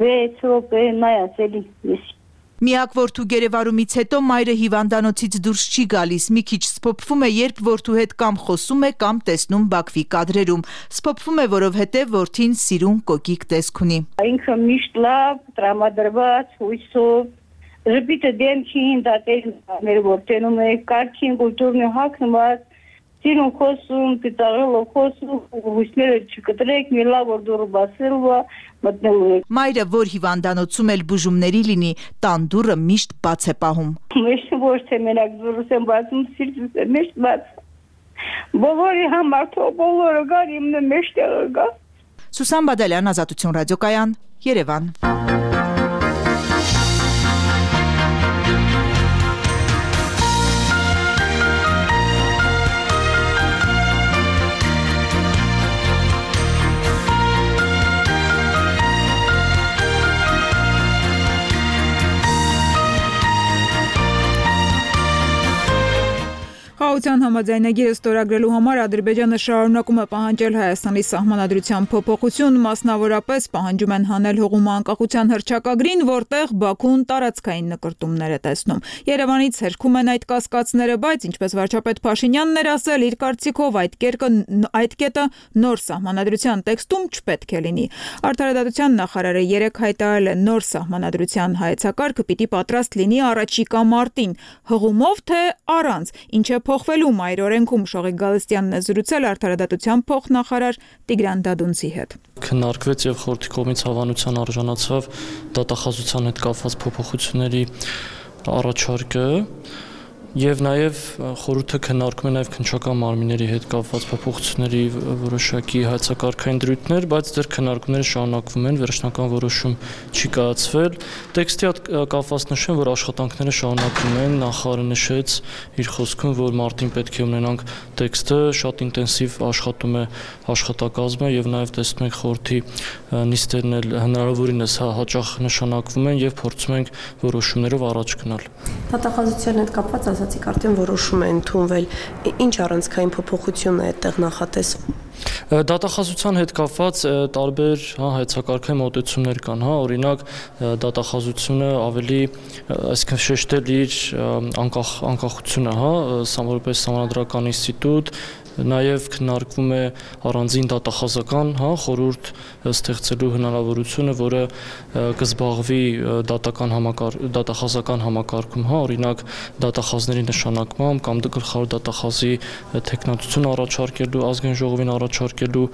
6 րոպե նայած էլի ես։ Միակ որդու գերեվարումից հետո մայրը հիվանդանոցից դուրս չի գալիս, մի քիչ սփոփվում է, երբ որդու հետ կամ խոսում է, կամ տեսնում Բաքվի կադրերում։ Սփոփվում է, որովհետև որդին սիրուն կոկիկ տեսք ունի։ Ինքը միշտ լավ, տրամադրված, հույսով, ժպիտը դեմքին, դատեր որդենում է, կարգին, կուլտուրն ու հագնված, սիրուն խոսում, պիտաղելով խոսում, հույսները չկտրեք, մի լավ որ դուրը բասելու մտնելու եք։ Մայրը, որ հիվանդանոցում էլ բուժումների լինի, տան դուռը միշտ բաց է պահում։ Միշտ ոչ թե մենակ դուրս եմ բացում, սիրտս է միշտ բաց։ Բոլորի համար թող բոլորը գար, իմն միշտ գա։ Սուսան Բադալյան, Ազատություն ռադիոկայան, Երևան։ Խաղաղության համաձայնագիրը ստորագրելու համար Ադրբեջանը շարունակում է պահանջել Հայաստանի սահմանադրության փոփոխություն, մասնավորապես պահանջում են հանել հողում անկախության հռչակագրին, որտեղ Բաքուն տարածքային նկրտումներ է տեսնում։ Երևանից հերքում են այդ կասկածները, բայց ինչպես վարչապետ Փաշինյանն էր ասել, իր կարծիքով այդ կետը նոր սահմանադրության տեքստում չպետք է լինի։ Արդարադատության նախարարը երեկ հայտարարել է նոր սահմանադրության հայեցակարգը պիտի պատրաստ լինի առաջիկա մարտին, հղումով թե առանց, ինչը փոխվելու մայր օրենքում Շողիկ Գալստյանն է զրուցել արդարադատության փոխնախարար Տիգրան Դադունցի հետ։ Քննարկվեց եւ խորհրդի կողմից հավանության արժանացավ դատախազության հետ կապված փոփոխությունների առաջարկը եւ նաեւ խորհուրդը քննարկում է նաեւ քննչական մարմինների հետ կապված փոփոխությունների որոշակի հայեցակարգային դրույթներ, բայց դեռ քննարկումները շարունակվում են, վերջնական որոշում չի կայացվել։ Տեքստի հետ կապված նշեմ, որ աշխատանքները շարունակվում են, նախարարը նշեց իր խոսքում, որ մարտին պետք է ունենանք տեքստը, շատ ինտենսիվ աշխատում է աշխատակազմը եւ նաեւ տեսնում ենք խորհրդի նիստերն էլ հնարավորինս հաճախ նշանակվում են եւ փորձում ենք որոշումներով առաջ գնալ։ Դատախազության հետ կապված ասացիք արդեն որոշում է ընդունվել, ինչ առանցքային փոփոխություն է այդտեղ նախատեսվում։ Դատախազության հետ կապված տարբեր հայեցակարգային մոտեցումներ կան, օրինակ դատախազությունը ավելի, այսինքն շեշտել իր անկախությունը, որպես սահմանադրական ինստիտուտ, նաև քննարկվում է առանձին դատախազական խորհուրդ ստեղծելու հնարավորությունը, որը կզբաղվի դատախազական համակարգում, օրինակ դատախազների նշանակմամբ կամ գլխավոր դատախազի թեկնածություն առաջարկելու, ազգային ժողովին առաջարկելու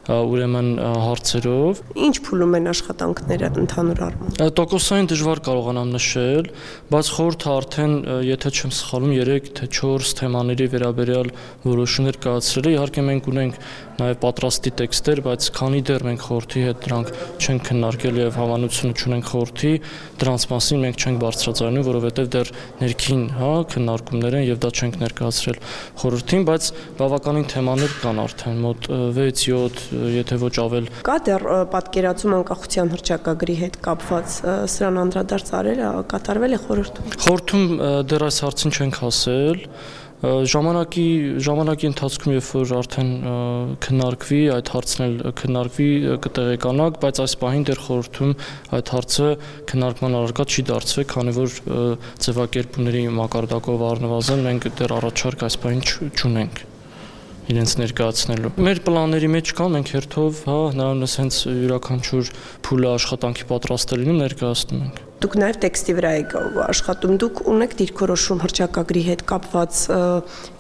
ուրեմն հարցերով։ Ինչ փուլում են աշխատանքները ընդհանուր առմամբ։ Տոկոսային դժվար կարողանամ նշել, բայց խորհուրդը արդեն, եթե չեմ սխալվում, 3 թե 4 թեմաների վերաբերյալ որոշումներ կայացրել է։ Իհարկե մենք ունենք նաև պատրաստի տեքստեր, բայց քանի դեռ մենք խորհրդի հետ դրանք չենք քննարկել եւ հավանություն չունենք խորհրդի, դրանց մասին մենք չենք բարձրացնում, որովհետեւ դեռ ներքին, քննարկումներ են եւ դա չենք ներկայացրել խորհրդին, բայց բավականին թեմաներ կան արդեն, մոտ 6-7, եթե ոչ ավել։ Կա դեռ պատկերացում անկախության հռչակագրի հետ կապված, սրան անդրադարձ կատարվել է խորհրդում։ Խորհրդում դեռ այս հարցին չենք հասել։ Ժամանակի ընթացքում, երբ որ արդեն քննարկվի, այդ հարցն էլ քննարկվի, կտեղեկանանք, բայց այս պահին դեռ խորհրդում այդ հարցը քննարկման առարկա չի դարձվել, քանի որ ձևակերպումների մակարդակով առնվազն մենք դեռ առաջարկ այս պահին չունենք իրենց ներկայացնելու։ Մեր պլանների մեջ կան, մենք հերթով, հնարավորինս հենց յուրաքանչյուր փուլը աշխատանքի պատրաստ է լինում, ներկայացնում ենք։ Դուք նաև տեքստի վրա եք աշխատում, դուք ունեք դիրքորոշում հռչակագրի հետ կապված,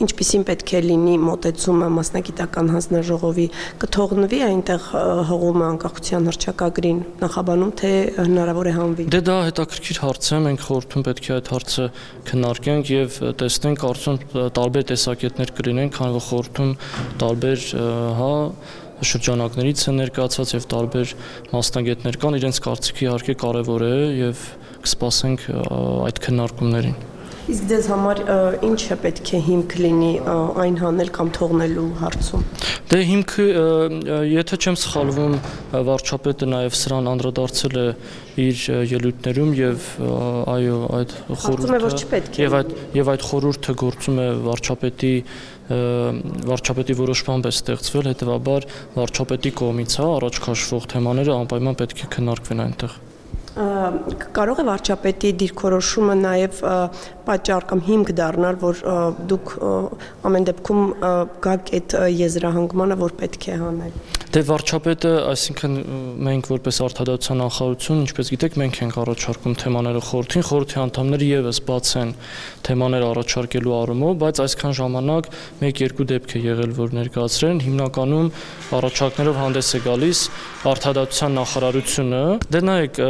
ինչպիսին պետք է լինի մոտեցումը մասնագիտական հանձնաժողովի, կթողնվի այնտեղ հողումը անկախության հռչակագրին նախաբանում, թե հնարավոր է հանվի։ Դե դա հետաքրքիր հարց է, մենք խորհրդում պետք է այդ հարցը քննարկենք եւ տեսնենք, կարծում տարբեր տեսակետներ կլինեն, քանի որ խորհրդում տարբեր, շրջանակներից են ներկայացած եւ տարբեր մասնագետներ կան, իրենց կարծիքը իհարկե կարեւոր է եւ կսպասենք այդ քննարկումներին։ Իսկ ձեզ համար ինչը պետք է հիմք լինի այն հանել կամ թողնելու հարցում։ Դե հիմքը, եթե չեմ սխալվում, վարչապետը նաեւ սրան անդրադարձել է իր ելույթներում եւ այո, այդ խորհուրդը եւ այդ խորհուրդը գործում է վարչապետի որոշմամբ է ստեղծվել, հետեւաբար վարչապետի կողմից առաջ քաշվող թեմաները անպայման պետք է քննարկվեն այնտեղ։ Կարող է վարչապետի դիրքորոշումը նաև պատճառ կամ հիմք դառնալ, որ դուք ամեն դեպքում գաք այդ եզրահանգմանը, որ պետք է հանել։ Դե վարչապետը, այսինքն մենք որպես արտադատության նախարարություն, ինչպես գիտեք, մենք ենք առաջարկում թեմաները խորհրդին, խորհրդի անդամները եւս բաց են թեմաներ առաջարկելու առումով, բայց այսքան ժամանակ 1-2 դեպք է եղել, որ ներկայացրել են, հիմնականում առաջարկներով հանդես է գալիս արտադատության նախարարությունը։ Դե նայեք,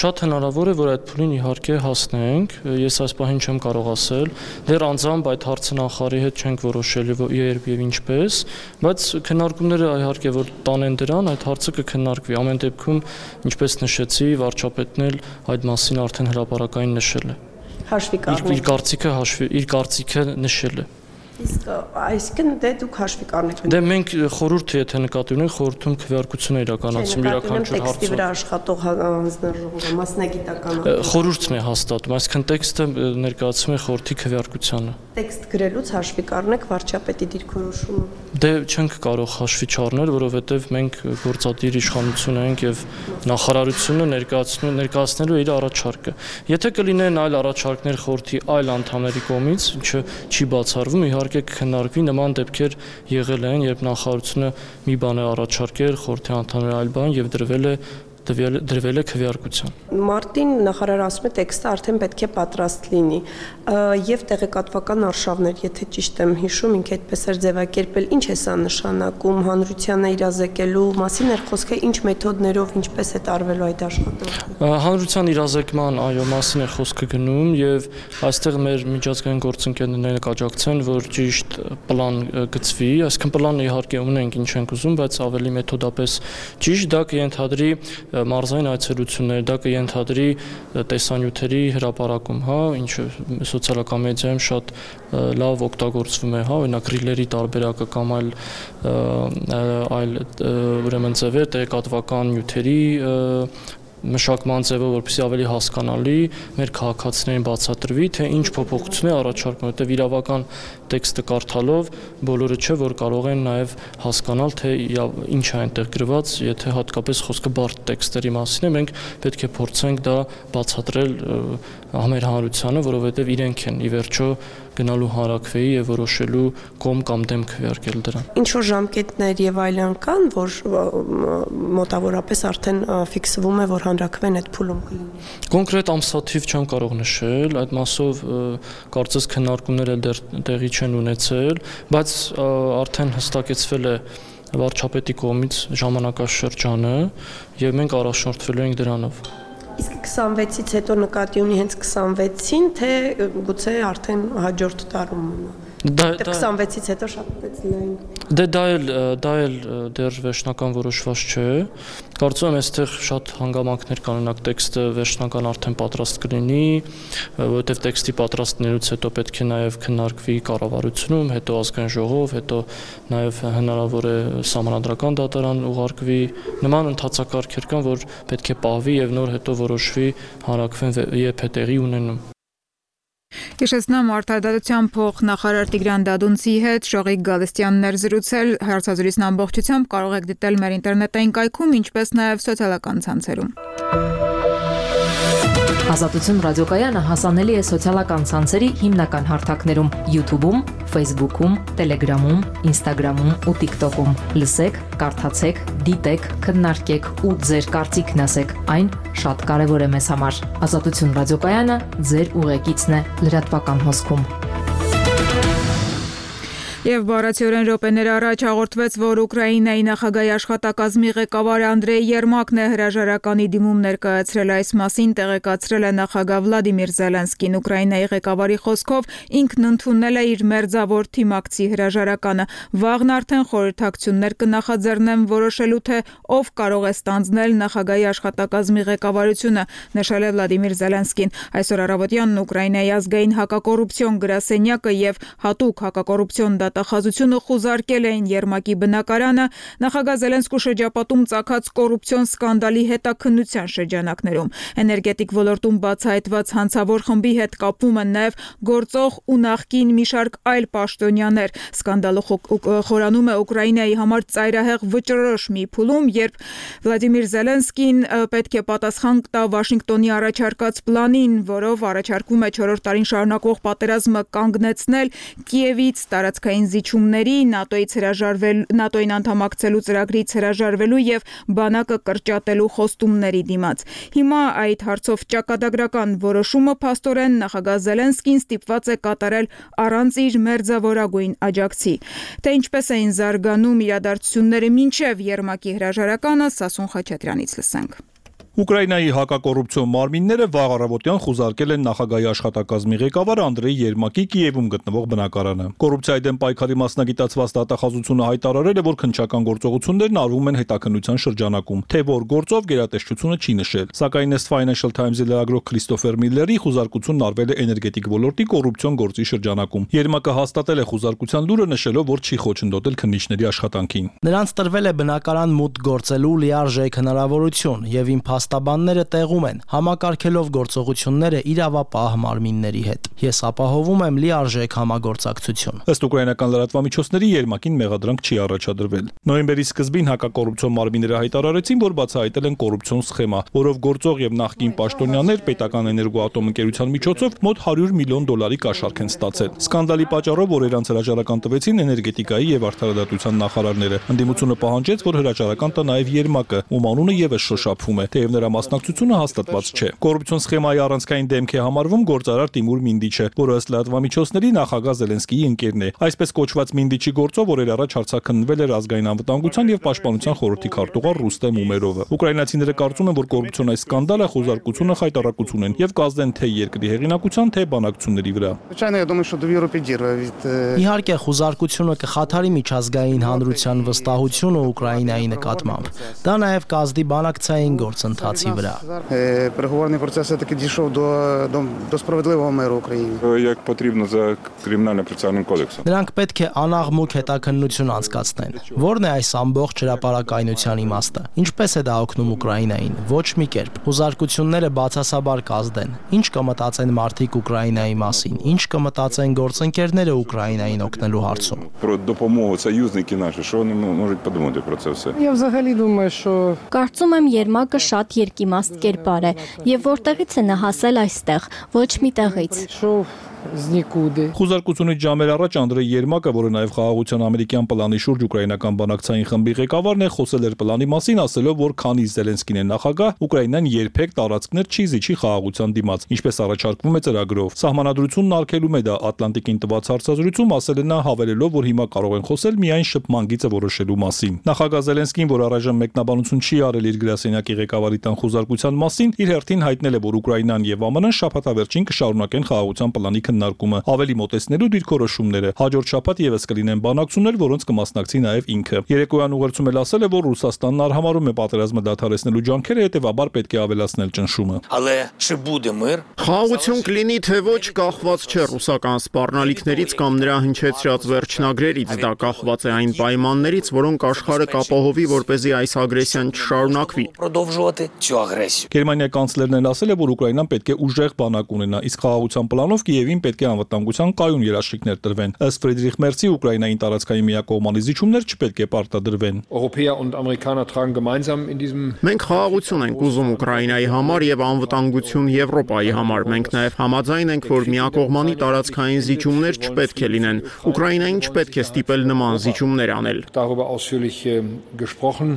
շատ հնարավոր է, որ այդ փուլին իհարկե հասնենք, ես այս պահին չեմ կարող ասել, դեռ անձամբ այդ հարցը նախարարի հետ չենք որոշել երբ եւ ինչպես, բայց քննարկումները իհարկե որ տանեն դրան, այդ հարցը կքննարկվի։ Ամեն դեպքում, ինչպես նշեցի, վարչապետն էլ այդ մասին արդեն հրապարակային նշել է։ Հաշվի կառնեք։ Իր կարծիքը նշել է։ Իսկ այսինքն դե դուք հաշվի կառնեք։ Դե մենք խորհուրդը եթե նկատի ունենք, խորհրդում քվեարկություն է իրականացում յուրաքանչյուր հարցով։ Տեքստի վրա աշխատող հանձնաժողովը, մասնագիտական։ Խորհուրդն է հաստատում, այսինքն տեքստը ներկայացում է խորհրդի քվեարկությանը։ Տեքստ գրելուց հաշվի կառնեք վարչապետի դիրքորոշումը։ Դե չենք կարող հաշվի չառնել, որովհետև մենք գործադիր իշխանություն ենք եւ նախարարությունը ներկայացնելու իր առաջարկը։ Եթե կլինեն այլ առաջարկներ խորհրդի այլ անդամների կողմից, ինչը չի բացառվում, իհարկե կքննարկվի, նման դեպքեր եղել են, երբ նախարարությունը մի բան է առաջարկել, խորհրդի անդամները այլ բան եւ դրվել է քվեարկության։ Մարտին նախարարը ասում է տեքստը արդեն պետք է պատրաստ լինի եւ տեղեկատվական արշավներ, եթե ճիշտ եմ հիշում, ինքը այդպես էր ձևակերպել, ինչ է սա նշանակում, հանրությանը իրազեկելու մասին էր խոսքը, ինչ մեթոդներով, ինչպես է տարվելու այդ աշխատանքը։ Հանրության իրազեկման, այո, մասին է խոսքը գնում եւ այստեղ մեր միջազգային գործընկերները կաջակցեն, որ ճիշտ պլան գծվի, այսինքն պլանը իհարկե ունենք, ինչ ենք ուզում, բայց ավելի մեթոդապես ճիշտ դա կենթադրի մարզային այցելություններ, դա կենթադրի տեսանյութերի հրապարակում, հա, ինչը սոցիալական մեդիայում շատ լավ օգտագործվում է, հա, օրինակ ռիլերի տարբերակը կամ այլ ուրեմն ձևեր, տեղեկատվական նյութերի մշակման ձևը, որպեսզի ավելի հասկանալի մեր քաղաքացիներին բացատրվի, թե ինչ փոփոխություն է առաջարկում, որտեղ իրավական տեքստը կարդալով բոլորը չէ, որ կարող են նաև հասկանալ, թե ինչ է այնտեղ գրված, եթե հատկապես խոսքը բարդ տեքստերի մասին է, մենք պետք է փորձենք դա բացատրել մեր հանրությանը, որովհետև իրենք են ի վերջո գնալու հանրաքվեի եւ որոշելու կողմ կամ դեմ քվեարկել դրան։ Ինչ որ ժամկետներ եւ այլն կան, որ մոտավորապես արդեն ֆիքսվում է, որ հանրաքվեն այդ փուլում կլինի։ Կոնկրետ ամսաթիվ չեմ կարող նշել, այդ մասով կարծես քննարկումները դեռ տեղի չեն ունեցել, բայց արդեն հստակեցվել է վարչապետի կողմից ժամանակաշրջանը եւ մենք առաջնորդվելու ենք դրանով։ Իսկ 26-ից հետո նկատի ունի հենց 26-ին, թե գուցե արդեն հաջորդ տարում մնա։ Դա 26-ից հետո շատ պետք լայն։ Դե դա էլ դեռ վերջնական որոշված չէ։ Կարծում եմ այստեղ շատ հանգամանքներ կան, օրինակ տեքստը վերջնական արդեն պատրաստ կլինի, որովհետև տեքստի պատրաստելուց հետո պետք է նաև քննարկվի կառավարությունում, հետո ազգային ժողով, հետո նաև հնարավոր է սահմանադրական դատարան ուղարկվի։ Նման ընթացակարգեր կան, որ պետք է պահվի եւ նոր հետո որոշվի հանրաքվեն երբ է տեղի ունենում։ Հիշեցնեմ արտադատության փոխնախարար Տիգրան Դադունցի հետ Շողիկ Գալստյանն էր զրուցել, հարցազրույցն ամբողջությամբ կարող եք դիտել մեր ինտերնետային կայքում, ինչպես նաև սոցիալական ցանցերում։ Ազատություն ռադիոկայանը հասանելի է սոցիալական ցանցերի հիմնական հարթակներում՝ YouTube-ում, Facebook-ում, Telegram-ում, Instagram-ում ու TikTok-ում։ Լսեք, կարդացեք, դիտեք, քննարկեք ու ձեր կարծիքն ասեք։ Այն շատ կարևոր է մեզ համար։ Ազատություն ռադիոկայանը ձեր ուղեկիցն է լրատվական հոսքում։ Եվ բառացիորեն րոպեներ առաջ հաղորդվեց, որ Ուկրաինայի նախագահի աշխատակազմի ղեկավար Անդրեյ Երմակն է հրաժարականի դիմում ներկայացրել, այս մասին տեղեկացրել է նախագահ Վլադիմիր Զելենսկին։ Ուկրաինայի ղեկավարի խոսքով ինքն ընդունել է իր մերձավոր թիմակցի հրաժարականը։ Վաղն արդեն խորհրդակցություններ կնախաձեռնեն որոշելու, թե ով կարող է ստանձնել նախագահի աշխատակազմի ղեկավարությունը, նշել է Վլադիմիր Զելենսկին։ Այսօր առավոտյան Ուկրաինայի ազգային հակակոռուպցիոն գրասենյակը եւ հատուկ հակակոռուպցիոն դատախազությունը խուզարկել էին Երմակի բնակարանը նախագահ Զելենսկու շրջապատում ծագած կոռուպցիոն սկանդալի հետաքննության շրջանակներում։ Էներգետիկ ոլորտում բացահայտված հանցավոր խմբի հետ կապվում են նաև գործող ու նախկին մի շարք այլ պաշտոնյաներ։ Սկանդալը խորանում է Ուկրաինայի համար ծայրահեղ վճռորոշ մի փուլում, երբ Վլադիմիր Զելենսկին պետք է պատասխան տա Վաշինգտոնի առաջարկած պլանին, որով առաջարկվում է 4-րդ տարին շարունակվող պատերազմը կանգնեցնել Կիևից տարածքային զիջումների, ՆԱՏՕ-ին անդամակցելու ծրագրից հրաժարվելու եւ բանակը կրճատելու խոստումների դիմաց։ Հիմա այդ հարցով ճակատագրական որոշումը փաստորեն նախագահ Զելենսկին ստիպված է կատարել առանց իր մերձավորագույն աջակցի։ Թե ինչպես էին զարգանում իրադարձությունները մինչև Երմակի հրաժարականը, Սասուն Խաչատրյանից լսենք։ Ուկրաինայի հակակոռուպցիոն մարմինները վաղ առավոտյան խուզարկել են նախագահի աշխատակազմի ղեկավար Անդրեյ Երմակի Կիևում գտնվող բնակարանը։ Կոռուպցիայի դեմ պայքարի մասնագիտացված դատախազությունը հայտարարել է, որ քննչական գործողություններն արվում են հետաքննության շրջանակում, թե որ գործով գերատեսչությունը չի նշել։ Սակայն ըստ Financial Times-ի լրագրող Քրիստոֆեր Միլլերի խուզարկությունն արվել է էներգետիկ ոլորտի կոռուպցիոն գործի շրջանակում։ Երմակը հաստատել է խուզարկության լուրը, նշելով, որ չի խոչընդոտել քննիչների աշխատանքին։ Նրանց տրվել է բնակարան մուտք գործելու լիարժեք հնարավորություն եւ իմ փաստաբանները տեղում են, համակարգելով գործողությունները իրավապահ մարմինների հետ։ Ես ապահովում եմ լիարժեք համագործակցություն։ Ըստ ուկրաինական լրատվամիջոցների Երմակին մեղադրանք չի առաջադրվել։ Նոյեմբերի սկզբին հակակոռուպցիոն մարմինները հայտարարեցին, որ բացահայտել են կոռուպցիոն սխեմա, որով գործող եւ նախկին պաշտոնյաներ պետական էներգոատոմ ընկերության միջոցով մոտ $100 միլիոն կաշառք են ստացել։ Սկանդալի պատճառով օրերանց հրաժարական տվեցին էներգետիկայի եւ արդարադատության նախարարները։ Ընդդիմությունը պահանջեց, որ հրաժարական տա նաեւ Երմակը, ում անունը եւս շոշափվում է, թեև նրա մասնակցությունը հաստատված չէ։ Կոռուպցիոն սխեմայի առանցքային դեմք է համարվում գործարար Տիմուր Մինդիչը, որը ըստ լրատվամիջոցների նախագահ Զելենսկիի ընկերն է։ Այսպես կոչված Մինդիչի գործով օրեր առաջ հարցաքննվել էր ազգային անվտանգության եւ պաշտպանության խորհրդի քարտուղար Ռուստեմ Ումերովը։ Ուկրաինացիները կարծում են, որ կոռուպցիոն այս սկանդալը խոզարկությունը խայտարակություն են եւ կազդեն թե երկրի հեղինակության, թե բանակցությունների վրա։ Իհարկե, խոզարկությունը կխաթարի միջազգային հանրության վստահությունը Ուկրաինայի նկատմամբ։ Դա նաեւ կազդի բանակցային գործընթացի վրա։ Переговорний процес все-таки дійшов до справедливого миру України. Як потрібно за кримінально-процесуальним кодексом. Նրանք պետք է անաղմուկ հետաքննություն անցկացնեն։ Որն է այս ամբողջ հրապարակայնության իմաստը։ Ինչպես է դա օգնում Ուկրաինային։ Ոչ մի կերպ։ Խոզարկությունները բացասաբար կազդեն։ Ինչ կմտածեն մարդիկ Ուկրաինայի մասին։ Ինչ կմտածեն գործընկերները Ուկրաինային օգնելու հարցում։ Про допомогу союзники наші, що вони можуть подумати про це все? Я взагалі думаю, що Կարծում եմ Երմակը շատ երկիմաստ կերպար է եւ որտեղից է նա հասել այստեղ, ոչ մի տեղից։ Խոզարկությունից ժամեր առաջ Անդրեյ Երմակը, որը նաև խաղաղության ամերիկյան պլանի շուրջ ուկրաինական բանակցային խմբի ղեկավարն է, խոսել էր պլանի մասին, ասելով, որ քանի Զելենսկին է նախագահ, Ուկրաինան երբեք տարածքներ չի զիջի խաղաղության դիմաց, ինչպես առաջարկվում է ծրագրով։ Սահմանադրությունն արգելում է դա Ատլանտիկին տված հարցազրույցում, ասել է նա, հավելելով, որ հիմա կարող են խոսել միայն շփման գիծը որոշելու մասին։ Նախագահ Զելենսկին, որ առայժմ մեկնաբանություն չի արել իր գրասենյակի ղեկավարի տան խոզարկության մասին, իր հերթին հայտնել է, որ Ուկրաինան եւ ԱՄՆ-ն շաբաթավերջին կշարունակեն խաղաղության պլանի քննարկումը, ավելի մոտեցնելու դիրքորոշումները։ Հաջորդ շաբաթ եւս կլինեն բանակցություններ, որոնց կմասնակցի նաեւ ինքը։ Երեկոյան ուղերձում էլ ասել է, որ Ռուսաստանն արհամարում է պատերազմը դադարեցնելու ջանքերը, հետեւաբար պետք է ավելացնել ճնշումը։ Խաղաղություն կլինի թե ոչ, կախված չէ ռուսական սպառնալիքներից կամ նրա հնչեցրած վերջնագրերից, դա կախված է այն պայմաններից, որոնք աշխարհը կապահովի, որպեսզի այս ագրեսիան չշարունակվի։ Գերմանիայի կանցլերն էլ ասել է, որ Ուկրաինան պետք է ուժեղ բանակ ունենա, իսկ խաղաղության պլանով Կիևին պետք է անվտանգության կայուն երաշխիքներ տրվեն։ Ըստ Ֆրիդրիխ Մերցի, Ուկրաինային տարածքային միակողմանի զիջումներ չպետք է պարտադրվեն։ Մենք խաղաղություն ենք ուզում Ուկրաինայի համար եւ անվտանգություն Եվրոպայի համար։ Մենք նաեւ համաձայն ենք, որ միակողմանի տարածքային զիջումներ չպետք է լինեն։ Ուկրաինային չպետք է ստիպել նման զիջումներ անել։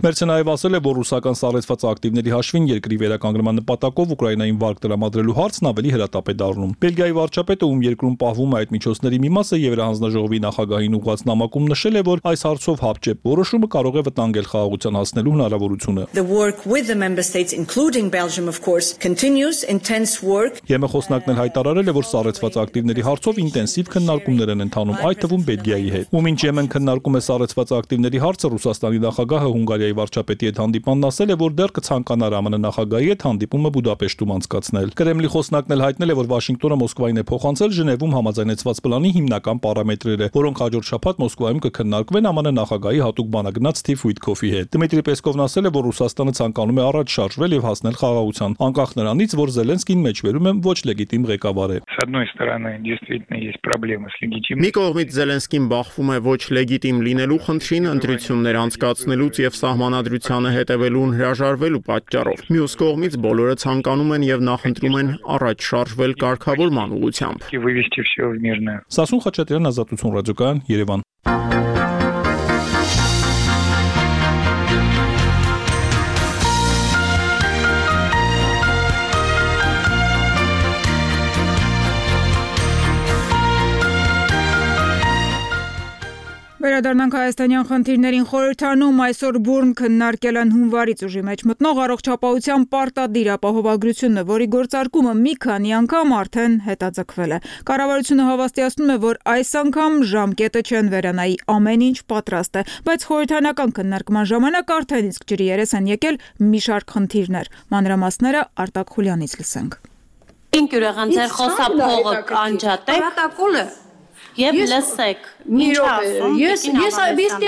Մերցը նաեւ ասել է, որ ռուսական սառեցված ակտիվների հաշվին երկրի վերականգնման նպատակով Ուկրաինային վարկ տրամադրելու հարցն ավելի հրատապ է դառնում։ Բելգիայի վարչապետը, ում երկրում պահվում է այդ միջոցների մի մասը, Եվրահանձնաժողովի նախագահին ուղղված նամակում նշել է, որ այս հարցով հապճեպ որոշումը կարող է վտանգել խաղաղության հասնելու հնարավորությունը։ ԵՄ խոսնակն էլ հայտարարել է, որ սառեցված ակտիվների հարցով ինտենսիվ քննարկումներ են ընթանում, այդ թվում Բելգիայի հետ։ Ու մինչ ԵՄ-ն քննարկում է սառեցված ակտիվների հարցը, Ռուսաստանի նախագահը Հունգարիայի վարչապետի հետ հանդիպմանն ասել է, որ դեռ կցանկանար ԱՄՆ նախագահի հետ հանդիպումը Բուդապեշտում անցկացնել։ Կրեմլի խոսնակն էլ հայտնել է, որ Վաշինգտոնը Մոսկվային է փոխանցել, ներկայացրել Ժնևում համաձայնեցված պլանի հիմնական պարամետրերը, որոնք հաջորդ շաբաթ Մոսկվայում կքննարկվեն ԱՄՆ նախագահի հատուկ բանագնաց Սթիվ Ուիթքոֆի հետ։ Դմիտրի Պեսկովն ասել է, որ Ռուսաստանը ցանկանում է առաջ շարժվել եւ հասնել խաղաղության, անկախ նրանից, որ Զելենսկին մեջբերում է ոչ լեգիտիմ ղեկավար է։ Մի կողմից Զելենսկին բախվում է ոչ լեգիտիմ լինելու խնդրին, ընտրություններ անցկացնելուց եւ սահմանադրությանը հետևելուն հրաժարվելու պատճառով։ Մյուս կողմից բոլորը ցանկանում են եւ նախընտրում են առաջ շարժվել կարգավորման ուղղությամբ։ Սասուն Խաչատրյան, Ազատություն ռադիոկայան, Երևան։ Վերադառնանք հայաստանյան խնդիրներին խորհրդանում այսօր բուրն քննարկել են հունվարից ուժի մեջ մտնող առողջապահության պարտադիր ապահովագրությունը, որի գործարկումը մի քանի անգամ արդեն հետաձգվել է։ Կառավարությունը հավաստիացնում է, որ այս անգամ ժամկետը չեն վերանայի, ամեն ինչ պատրաստ է, բայց խորհրդանական քննարկման ժամանակ արդեն իսկ ջրի երես են եկել մի շարք խնդիրներ։ Մանրամասները Արտակ Խուլյանից լսենք։ Եվ լսեք, ինչ ասում, ես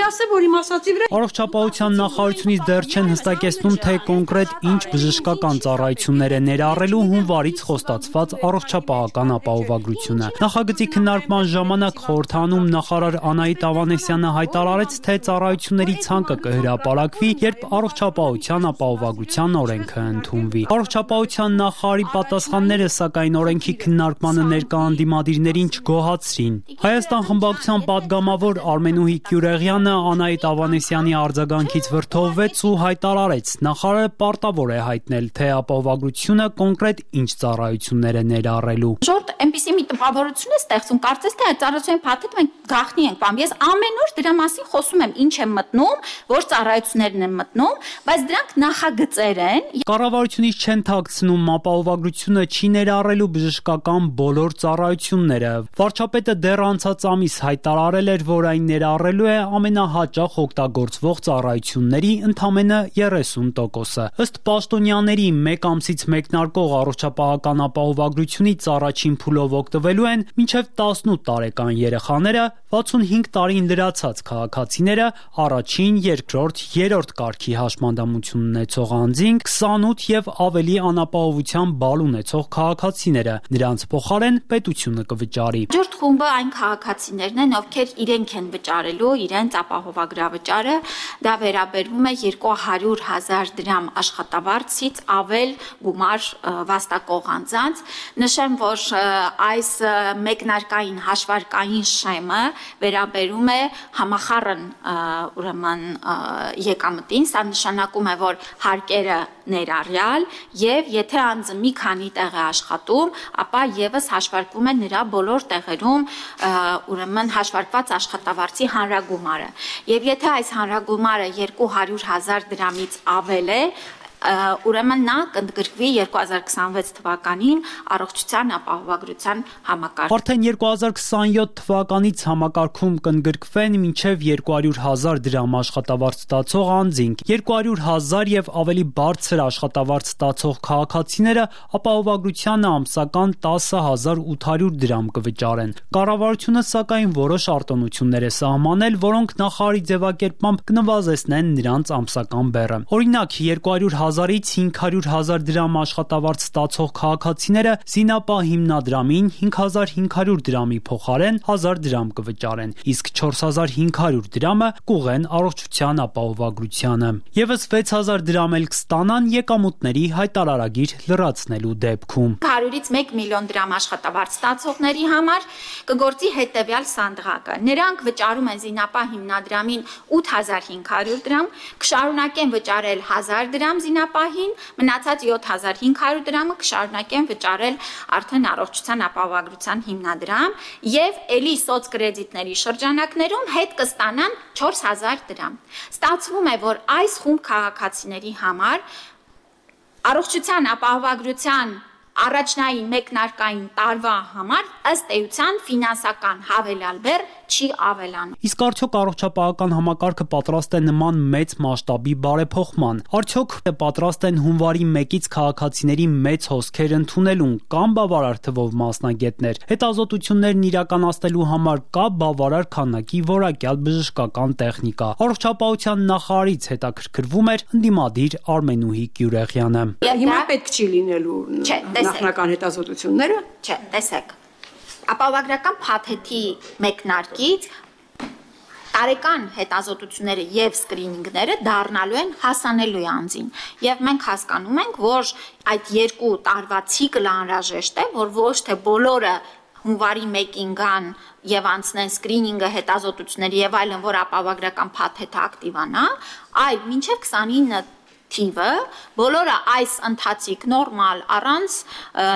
ասեմ, որ իմ ասացի վրա Առողջապահության նախարարությունից դեռ չեն հստակեցնում, թե կոնկրետ ինչ բժշկական ծառայություններ է ներառելու հունվարից խոստացված առողջապահական ապահովագրությունը։ Նախագծի քննարկման ժամանակ խորհրդանում նախարար Անահիտ Ավանեսյանը հայտարարեց, թե ծառայությունների ցանկը կհրապարակվի, երբ առողջապահության ապահովագրության օրենքը ընդունվի։ Առողջապահության նախարարի պատասխանները սակայն օրենքի քննարկմանը ներկա անդիմադիրներին չգոհացրին։ Հայաստան խմբակցության պատգամավոր Արմենուհի Կյուրեղյանը Անահիտ Ավանեսյանի արձագանքից վրդովվեց ու հայտարարեց. նախարարը պարտավոր է հայտնել, թե ապահովագրությունը կոնկրետ ինչ ծառայություններ է ներառելու։ Շորտ այնպեսի մի տպավորություն է ստեղծում, կարծես թե այդ ծառայությունների փաթեթը մենք գաղտնի ենք բան։ Ես ամեն օր դրա մասին խոսում եմ, ինչ եմ մտնում, որ ծառայություններն են մտնում, բայց դրանք նախագծեր են։ Կառավարությունից չեն թաքցնում ապահովագրությունը չի ներառելու բժշկական բոլոր ծառայությունները։ Վարչապետը դեռ անցած ամիս հայտարարել էր, որ այն ներառելու է ամենահաճախ օգտագործվող ծառայությունների ընդամենը 30%-ը։ Ըստ պաշտոնյաների մեկ ամսից մեկնարկող առողջապահական ապահովագրությունից առաջին փուլով օգտվելու են մինչև 18 տարեկան երեխաները, 65 տարին լրացած քաղաքացիները, առաջին, երկրորդ, երրորդ կարգի հաշմանդամություն ունեցող անձինք, 28 եւ ավելի անապահովության բալ ունեցող քաղաքացիները։ Նրանց փոխարեն պետությունը կվճարի։ Հաջորդ խումբը այն քաղաքացիներն են, ովքեր իրենք են վճարելու իրենց ապահովագրավճարը, դա վերաբերվում է 200,000 դրամ աշխատավարձից ավել գումար վաստակող անձանց։ Նշեմ, որ այս մեկնարկային հաշվարկային շեմը վերաբերում է համախառն ուրեմն եկամտին, սա նշանակում է, որ հարկերը ներառյալ եւ եթե անձը մի քանի տեղ է աշխատում, ապա եւս հաշվարկվում է նրա բոլոր տեղերում ուրեմն հաշվարկված աշխատավարձի հանրագումարը։ Եվ եթե այս հանրագումարը 200,000 դրամից ավել է, ուրեմն նա կընդգրկվի 2026 թվականին առողջության ապահովագրության համակարգ։ Արդեն 2027 թվականից համակարգում կընդգրկվեն մինչև 200,000 դրամ աշխատավարձ ստացող անձինք, 200,000 եւ ավելի բարձր աշխատավարձ ստացող քաղաքացիները ապահովագրությանը ամսական 10,800 դրամ կվճարեն։ Կառավարությունը սակայն որոշ արտոնություններ է սահմանել, որոնք նախարարի ձևակերպմամբ կնվազեցնեն նրանց ամսական բեռը։ Օրինակ 200,000-ից 500,000 դրամ աշխատավարձ ստացող քաղաքացիները զինապահ հիմնադրամին 5,500 դրամի փոխարեն 1,000 դրամ կվճարեն, իսկ 4,500 դրամը կուղեն առողջության ապահովագրությանը։ Եվս 6,000 դրամ էլ կստանան եկամուտների հայտարարագիր լրացնելու դեպքում։ 100-ից 1 միլիոն դրամ աշխատավարձ ստացողների համար կգործի հետևյալ սանդղակը։ Նրանք վճարում են զինապահ հիմնադրամին 8,500 դրամ, կշարունակեն վճարել 1,000 դրամ զինապահին, մնացած 7,500 դրամը կշարունակեն վճարել արդեն առողջության ապահովագրության հիմնադրամ եւ ելի սոցկրեդիտների շրջանակներում հետ կստանան 4,000 դրամ։ Ստացվում է, որ այս խումբ քաղաքացիների համար առողջության ապահովագրության առաջնային մեկնարկային տարվա համար ըստ էության ֆինանսական հավելյալ բեռ չի ավելանում։ Իսկ արդյոք առողջապահական համակարգը պատրաստ է նման մեծ մասշտաբի բարեփոխման։ Արդյոք պատրաստ են հունվարի 1-ից քաղաքացիների մեծ հոսքեր ընդունելուն կամ բավարար թվով մասնագետներ։ Հետազոտություններն իրականացնելու համար կա բավարար քանակի որակյալ բժշկական տեխնիկա։ Առողջապահության նախարարից հետաքրքրվում էր ընդդիմադիր Արմենուհի Գյուրեղյանը։ Հիմա պետք չի լինելու նախնական հետազոտությունները։ Չէ, տեսեք։ Ապահովագրական փաթեթի մեկնարկից տարեկան հետազոտությունները եւ սկրինինգները դառնալու են հասանելի անձին եւ մենք հասկանում ենք, որ այդ 2 տարվա ցիկլը անհրաժեշտ է, որ ոչ թե բոլորը հունվարի 1-ին գան եւ անցնեն սկրինինգը, հետազոտությունները եւ այլն, որ ապահովագրական փաթեթը ակտիվանա, այլ մինչեւ 29 թիվը բոլորը այս ընթացիկ նորմալ առանց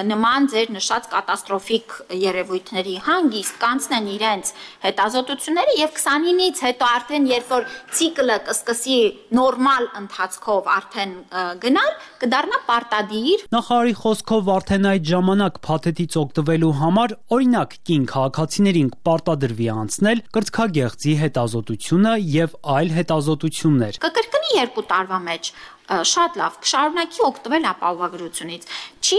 նման ձեր նշած կատաստրոֆիկ երևույթների հանգիստ կանցնեն իրենց հետազոտությունները եւ 29-ից հետո արդեն երբ որ ցիկլը կսկսի նորմալ ընթացքով արդեն գնալ, կդառնա պարտադիր։ Նախարարի խոսքով արդեն այդ ժամանակ փաթեթից օգտվելու համար օրինակ կին քաղաքացիներին պարտադրվի անցնել կրծքագեղձի հետազոտությունը եւ այլ հետազոտություններ։ Կկրկնի 2 տարվա մեջ շատ լավ, կշարունակի օգտվել ապահովագրությունից։ Չի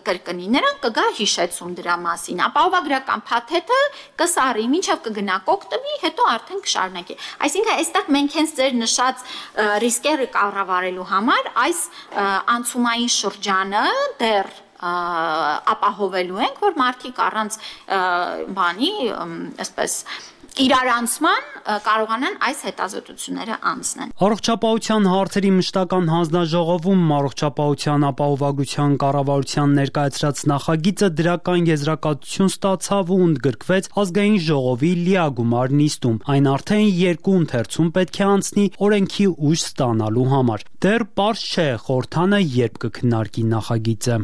կրկնի, նրան կգա հիշեցում դրա մասին։ Ապահովագրական փաթեթը կսարի, մինչև կգնա կօգտվի, հետո արդեն կշարունակի։ Այսինքն այստեղ մենք հենց ձեր նշած ռիսկերը կառավարելու համար այս անցումային շրջանը դեռ ապահովելու ենք, որ մարդիկ առանց բանի, այսպես իրարանցման կարողանան այս հետազոտությունները անցնել։ Առողջապահության հարցերի մշտական հանձնաժողովում առողջապահության ապահովագրության կառավարության ներկայացրած նախագիծը դրական եզրակացություն ստացավ ու ընդգրկվեց ազգային ժողովի լիագումար նիստում։ Այն արդեն 2 ընթերցում պետք է անցնի օրենքի ուժ ստանալու համար։ Դեռ պարզ չէ խորհրդանը երբ կքննարկի նախագիծը։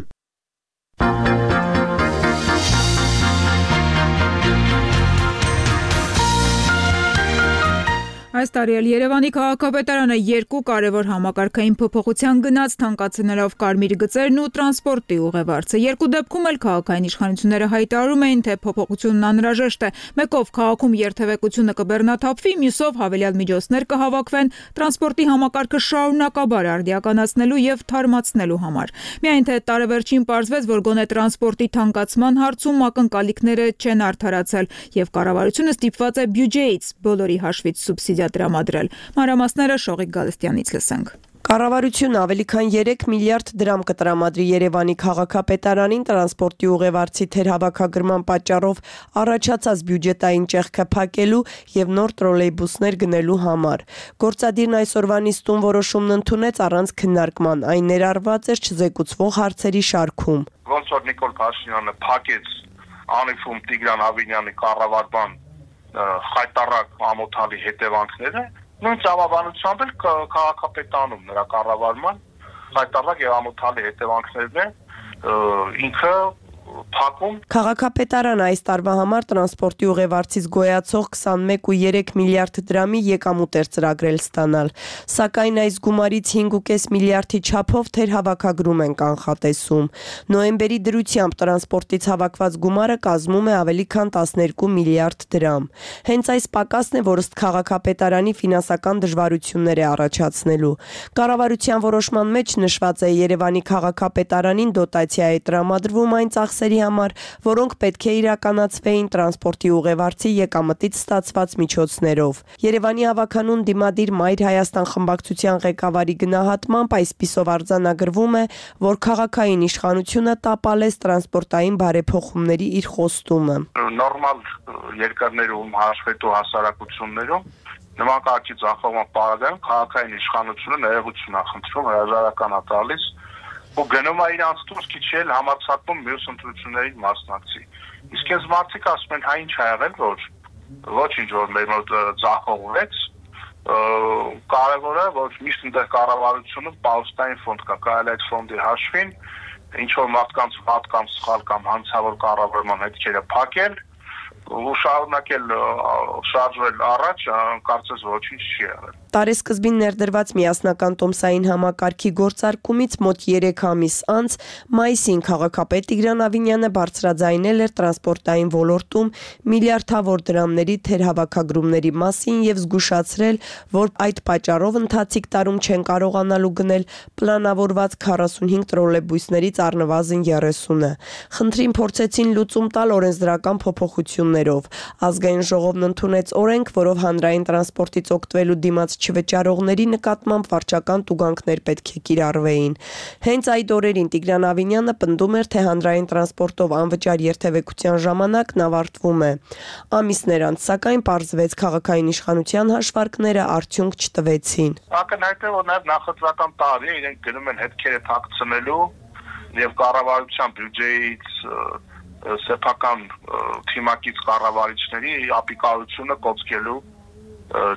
Այս տարի էլ Երևանի քաղաքապետարանը 2 կարևոր համակարգային փոփոխության գնաց, թանկացնելով կարմիր գծերն ու տրանսպորտի ուղևորձը։ 2 դեպքում էլ քաղաքային իշխանությունները հայտարարում էին, թե փոփոխությունն անհրաժեշտ է։ Մեկով քաղաքում երթևեկությունը կբեռնաթափվի, մյուսով հավելյալ միջոցներ կհավաքվեն տրանսպորտի համակարգը շարունակաբար արդիականացնելու եւ թարմացնելու համար։ Միայն թե տարեվերջին պարզվեց, որ գոնե տրանսպորտի թանկացման հարցում ակնկալիքները չեն արդարացել եւ կառավարությունը ստիպված է բյուջեից բոլորի հաշվից սուբսիդիա տրամադրել։ Մանրամասները Շողիկ Գալստյանից լսենք։ Կառավարությունը ավելի քան 3 միլիարդ դրամ կտրամադրի Երևանի քաղաքապետարանին տրանսպորտի ուղևորձի թերհավաքագրման պատճառով առաջացած բյուջետային ճեղքը փակելու եւ նոր տրոլեյբուսներ գնելու համար։ Գործադիրն այսօրվա նիստում որոշումն ընդունեց առանց քննարկման, այն ներառված էր չզեկուցվող հարցերի շարքում։ Ոնց որ Նիկոլ Փաշինյանը փակեց Անիֆում Տիգրան Ավինյանի կառավարման խայտարակ ամոթալի հետևանքները, նույն ծավալությամբ էլ քաղաքապետանում նրա կառավարման խայտարակ եւ ամոթալի հետևանքներն են ինքը փակում։ Քաղաքապետարանը այս տարվա համար տրանսպորտի ուղևորձից գոյացող 21.3 միլիարդ դրամի եկամուտ էր ծրագրել ստանալ, սակայն այս գումարից 5.5 միլիարդի չափով թերհավաքագրում են կանխատեսում։ Նոյեմբերի դրությամբ տրանսպորտից հավաքված գումարը կազմում է ավելի քան 12 միլիարդ դրամ։ Հենց այս պակասն է, որ ըստ քաղաքապետարանի ֆինանսական դժվարություններ է առաջացնելու։ Կառավարության որոշման մեջ նշված է Երևանի քաղաքապետարանին դոտացիա է տրամադրվում այն ծախսերի համար, որոնք պետք է իրականացվեին տրանսպորտի ուղևորձի եկամտից ստացված միջոցներով։ Երևանի հավաքանուն դիմադիր Մայր Հայաստան խմբակցության ղեկավարի գնահատմամբ այսպիսով արձանագրվում է, որ քաղաքային իշխանությունը տապալեց տրանսպորտային բարեփոխումների իր խոստումը։ Նորմալ երկրներում հաշվետու հասարակություններում նման կարգի ձախողման պարագայում քաղաքային իշխանությունը ներողություն է խնդրում, հրաժարական է տալիս ու գնում է իրանց դուրս քիչել համացակում մյուս ընտրություններին մասնակցի։ Իսկ այս մարդիկ ասում են, հա ինչ ա եղել, որ ոչինչ որ մեր մոտ ձախողվեց, կարևորը որ միշտ այնտեղ կառավարությունը պաուստային ֆոնդ կա, կարելի այդ ֆոնդի հաշվին ինչ որ մարդկանց վատ կամ սխալ կամ հանցավոր կառավարման հետքերը փակել ու շարունակել շարժվել առաջ, կարծես ոչինչ չի եղել։ Տարեսկզբին ներդրված միասնական տոմսային համակարգի գործարկումից մոտ 3 ամիս անց մայիսին քաղաքապետ Տիգրան Ավինյանը բարձրաձայնել էր տրանսպորտային ոլորտում միլիարդավոր դրամների թերհավաքագրումների մասին եւ զգուշացրել, որ այդ պատճառով ընթացիկ տարում չեն կարողանալու գնել պլանավորված 45 տրոլեյբուսներից առնվազն 30-ը։ Խնդրին փորձեցին լուծում տալ օրենսդրական փոփոխություններով։ Ազգային ժողովն ընդունեց օրենք, որով հանրային տրանսպորտից օգտվելու դիմաց չվճարողների նկատմամբ վարչական տուգանքներ պետք է կիրառվեին։ Հենց այդ օրերին Տիգրան Ավինյանը պնդում էր, թե հանրային տրանսպորտով անվճար երթևեկության ժամանակն ավարտվում է։ Ամիսներ անց, սակայն, պարզվեց քաղաքային իշխանության հաշվարկները արդյունք չտվեցին։ Ակնհայտ է, որ նաև նախընտրական տարի իրենք գնում են հետքերը թաքցնելու եւ կառավարության բյուջեից սեփական թիմակից կառավարիչների ապիկարությունը կոծկելու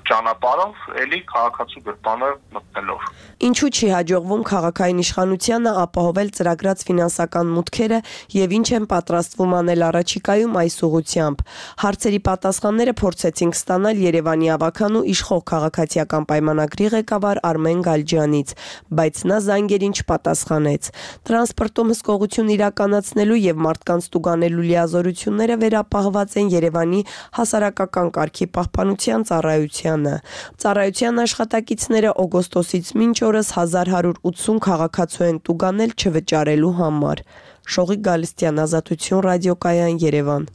ճանապարհով էլի քաղաքացու գրպանը մտնելով։ Ինչու չի հաջողվում քաղաքային իշխանությանը ապահովել ծրագրած ֆինանսական մուտքերը եւ ինչ են պատրաստվում անել առաջիկայում այս ուղղությամբ։ Հարցերի պատասխանները փորձեցինք ստանալ Երևանի ավագանու իշխող քաղաքացիական պայմանագրի ղեկավար Արմեն Գալջյանից, բայց նա զանգերին չպատասխանեց։ Տրանսպորտում հսկողություն իրականացնելու եւ մարդկանց տուգանելու լիազորությունները վերապահված են Երևանի հասարակական կարգի պահպանության Ծառայության աշխատակիցները օգոստոսից մինչ օրս 1180 քաղաքացու են տուգանել չվճարելու համար։ Շողիկ Գալստյան, Ազատություն ռադիոկայան, Երևան։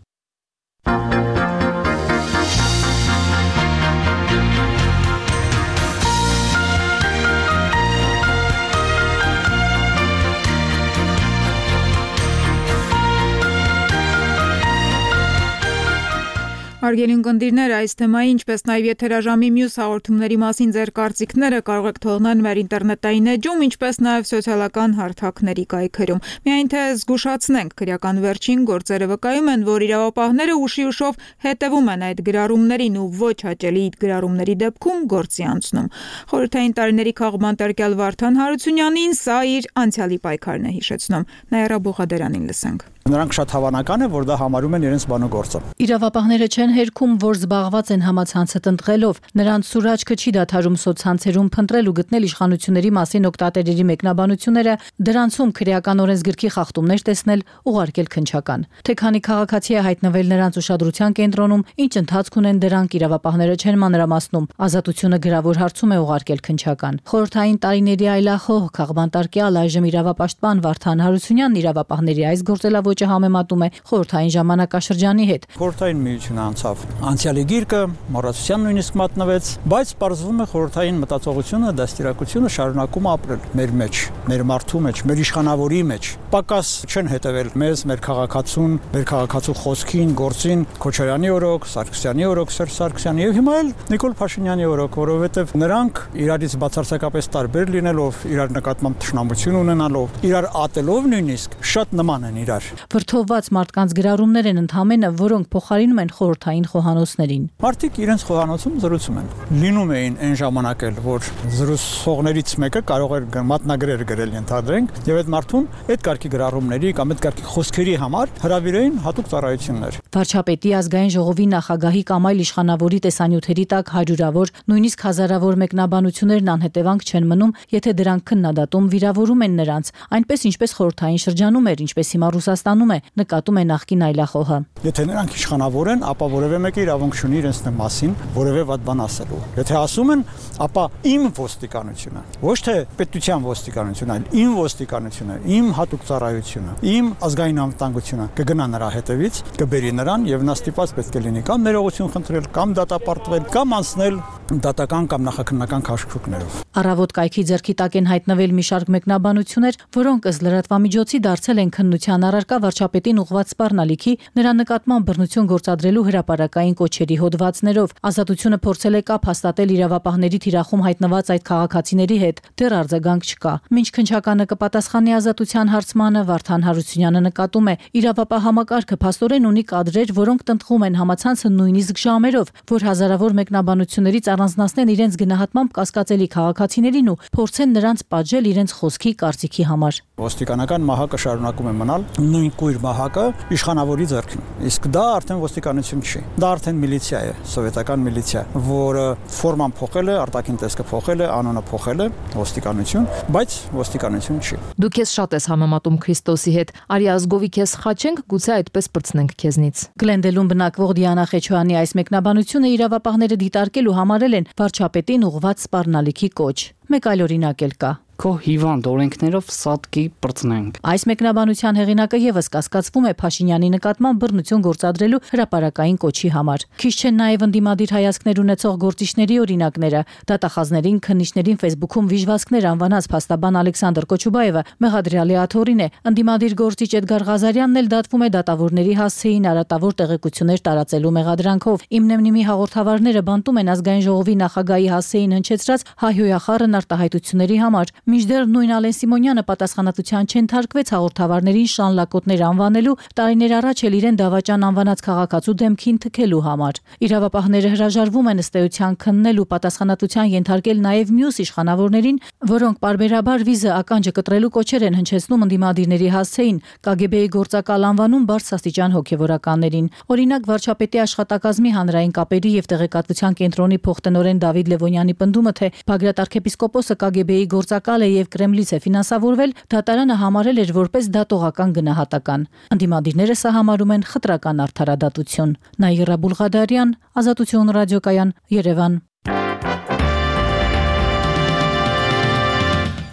Հարգելի ունկնդիրներ, այս թեմայի, ինչպես նաև եթերաժամի մյուս հաղորդումների մասին ձեր կարծիքները կարող եք թողնել մեր ինտերնետային էջում, ինչպես նաև սոցիալական հարթակների կայքերում։ Միայն թե զգուշացնենք, քրեական վերջին գործերը վկայում են, որ իրավապահները ուշիուշով հետևում են այդ գրառումներին ու ոչ հաճելի գրառումների դեպքում գործի անցնում։ Խորհրդային տարիների քաղբան տերկյալ Վարդան Հարությունյանին սա իր անցյալի պայքարն է հիշեցնում։ Նաիրա Բուղադերանին լսենք։ Նրանք շատ հավանական է, որ դա համարում են իրենց բանագործը։ Իրավապահները չեն հերքում, որ զբաղված են համացանցը տնտղելով։ Նրանց սուրաճքը չի դադարում սոցցանցերում փնտրել ու գտնել իշխանությունների մասին օգտատերերի մեկնաբանությունները, դրանցում քրեական օրենսգրքի խախտումներ տեսնել, ուղարկել քննչական։ Թե քանի քաղաքացի է հայտնվել նրանց ուշադրության կենտրոնում, ինչ ընթացք ունեն դրանք, իրավապահները չեն մանրամասնում։ Ազատությունը գրավոր հարցում է ուղարկել քննչական։ Խորհրդային տարիների այլախոհ քաղբանտարկյալ այժմ իրավապաշտպան Վարդան Հարությունյանն իրավապահների այս գործելավոճը համեմատում է խորհրդային ժամանակաշրջանի հետ։ Խորհրդային միությունը անցավ անցյալի գիրկը, մոռացության նույնիսկ մատնվեց, բայց պարզվում է խորհրդային մտածողությունը, դաստիարակությունը շարունակում ապրել մեր մեջ, մեր մարդու մեջ, մեր իշխանավորի մեջ։ Պակաս չեն հետևել մեզ, մեր քաղաքացուն, մեր քաղաքացու խոսքին, գործին, Քոչարյանի օրոք, Սարգսյանի օրոք, Սերժ Սարգսյանի եւ հիմա էլ Նիկոլ Փաշինյանի օրոք, որովհետեւ նրանք իրարից բացարձակապես տարբեր լինելով, իրար նկատմամբ թշնամություն ունենալով, իրար ատելով նույնիսկ շատ նման են իրար։ Վրթովված մարդկանց գրառումներ են ընդհանրապես, որոնք փոխարինում են խորհրդային խոհանոցներին։ Մարդիկ իրենց խոհանոցում զրուցում են։ Լինում էին այն ժամանակ էլ, որ զրուցողներից մեկը կարող էր մատնագրեր գրել, ենթադրենք, եւ այդ մարդուն այդ կարգի գրառումների կամ այդ կարգի խոսքերի համար հրավիրեին հատուկ ծառայություններ։ Վարչապետի, ազգային ժողովի նախագահի կամ այլ իշխանավորի տեսանյութերի տակ հարյուրավոր, նույնիսկ հազարավոր մեկնաբանություններն անհետևանք չեն մնում, եթե դրանք քննադատում վիրավորում են նրանց, այնպես ինչպես խորհրդային շրջանում էր, ինչպես հիմա Ռուսաստանում է, նկատում է նախկին այլախոհը։ Եթե նրանք իշխանավոր են, ապա որևէ մեկը իրավունք չունի իրենց մասին որևէ վատ բան ասելու։ Եթե ասում են, ապա իմ ոստիկանությունը, ոչ թե պետության ոստիկանությունը, այլ իմ ոստիկանությունը, իմ հատուկ ծառայությունը, իմ ազգային անվտանգությունը կգնա նրա հետևից, կբերի նրան եւ նա ստիպված պետք է լինի կամ ներողություն խնդրել, կամ դատապարտվել, կամ անցնել դատական կամ նախաքննական քաշքշուկներով։ Առավոտ կայքի ձեռքի տակ են հայտնվել մի շարք մեկնաբանություններ, որոնք ըստ լրատվամիջոցի դարձել են քննության առարկա վարչապետին ուղղված սպառնալիքի, նրա նկատմամբ բռնություն գործադրելու հրապարակային կոչերի հոդվածներով։ Ազատությունը փորձել է կապ հաստատել իրավապահների թիրախում հայտնված այդ քաղաքացիների հետ, դեռ արձագանք չկա։ Մինչ քննչականը կպատասխանի ազատության հարցմանը, Վարդան Հարությունյանը նկատում է, իրավապահ համակարգը փաստորեն ունի կադրեր, որոնք տնտղում են համացանցը նույնիսկ ժամերով, որ հազարավոր մեկնաբանություններից առանձնացնեն իրենց գնահատմամբ կասկածելի քաղաքացիներին ու փորձեն նրանց պատժել իրենց խոսքի կարծիքի համար։ Ոստիկանական մահակը շարունակում է մնալ նույն կույր մահակը իշխանավորի ձեռքին։ Իսկ դա արդեն ոստիկանություն չի։ Դա արդեն միլիցիա է, սովետական միլիցիա, որը ֆորման փոխել է, արտաքին տեսքը փոխել է, անունը փոխել է, ոստիկանություն, բայց ոստիկանություն չի։ Դու քեզ շատ ես համեմատում Քրիստոսի հետ։ Արի ազգովի քեզ խաչենք, գուցե այդպես պրծնենք քեզնից։ Գլենդելում բնակվող Դիանա Խեչոյանի այս մեկնաբանությունը իրավապահները դիտարկել ու համարել են վարչապետին ուղղված սպառնալիքի կոչ։ Մեկ այլ օրինակ էլ կա։ Քո հիվանդ օրենքներով սատկի պրծնենք։ Այս մեկնաբանության հեղինակը եւս կասկածվում է Փաշինյանի նկատմամբ բռնություն գործադրելու հրապարակային կոչի համար։ Քիչ չեն նաեւ ընդդիմադիր հայացքներ ունեցող գործիչների օրինակները։ Դատախազներին, քննիչներին Facebook-ում վիժվածքներ անվանած փաստաբան Ալեքսանդր Կոչուբաևը մեղադրյալի աթոռին է։ Ընդդիմադիր գործիչ Էդգար Ղազարյանն էլ դատվում է դատավորների հասցեին արատավոր տեղեկություններ տարածելու մեղադրանքով։ Իմնեմնիմի հաղորդավարները բանտում են ազգային ժողովի նախագահի հասցեին հնչեցրած հայհոյախառն արտահայտությունների համար։ Մինչդեռ նույն Ալեն Սիմոնյանը պատասխանատվության չընթարկվեց հաղորդավարներին շան լակոտներ անվանելու, տարիներ առաջ էլ իրեն դավաճան անվանած քաղաքացու դեմքին թքելու համար։ Իրավապահները հրաժարվում են ըստ էության քննել ու պատասխանատվության ենթարկել նաև մյուս իշխանավորներին, որոնք պարբերաբար վիզը ականջը կտրելու կոչեր են հնչեցնում ընդդիմադիրների հասցեին, KGB-ի գործակալ անվանում բարձրաստիճան հոգևորականներին։ Օրինակ, վարչապետի աշխատակազմի հանրային կապերի եւ տեղեկատվության կենտրոնի փոխտնօրեն Դավիթ Լևոնյանի պնդումը, թե Բագրատ arczepiskoposը KGB-ի գործակալ է եւ Կրեմլից է ֆինանսավորվել, դատարանը համարել էր որպես դատողական գնահատական։ Ընդդիմադիրները սա համարում են խտրական արդարադատություն։ Նաիրա Բուլղադարյան, Ազատություն ռադիոկայան, Երևան։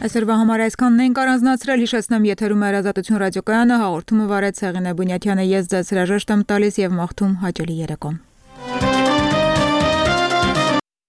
Այսօրվա համար այսքանն ենք առանձնացրել, հիշեցնեմ եթերում է Ազատություն ռադիոկայանը, հաղորդումը վարեց Հեղինե Բունյաթյանը, ես ձեզ հրաժեշտ եմ տալիս եւ մաղթում հաճելի երեկո։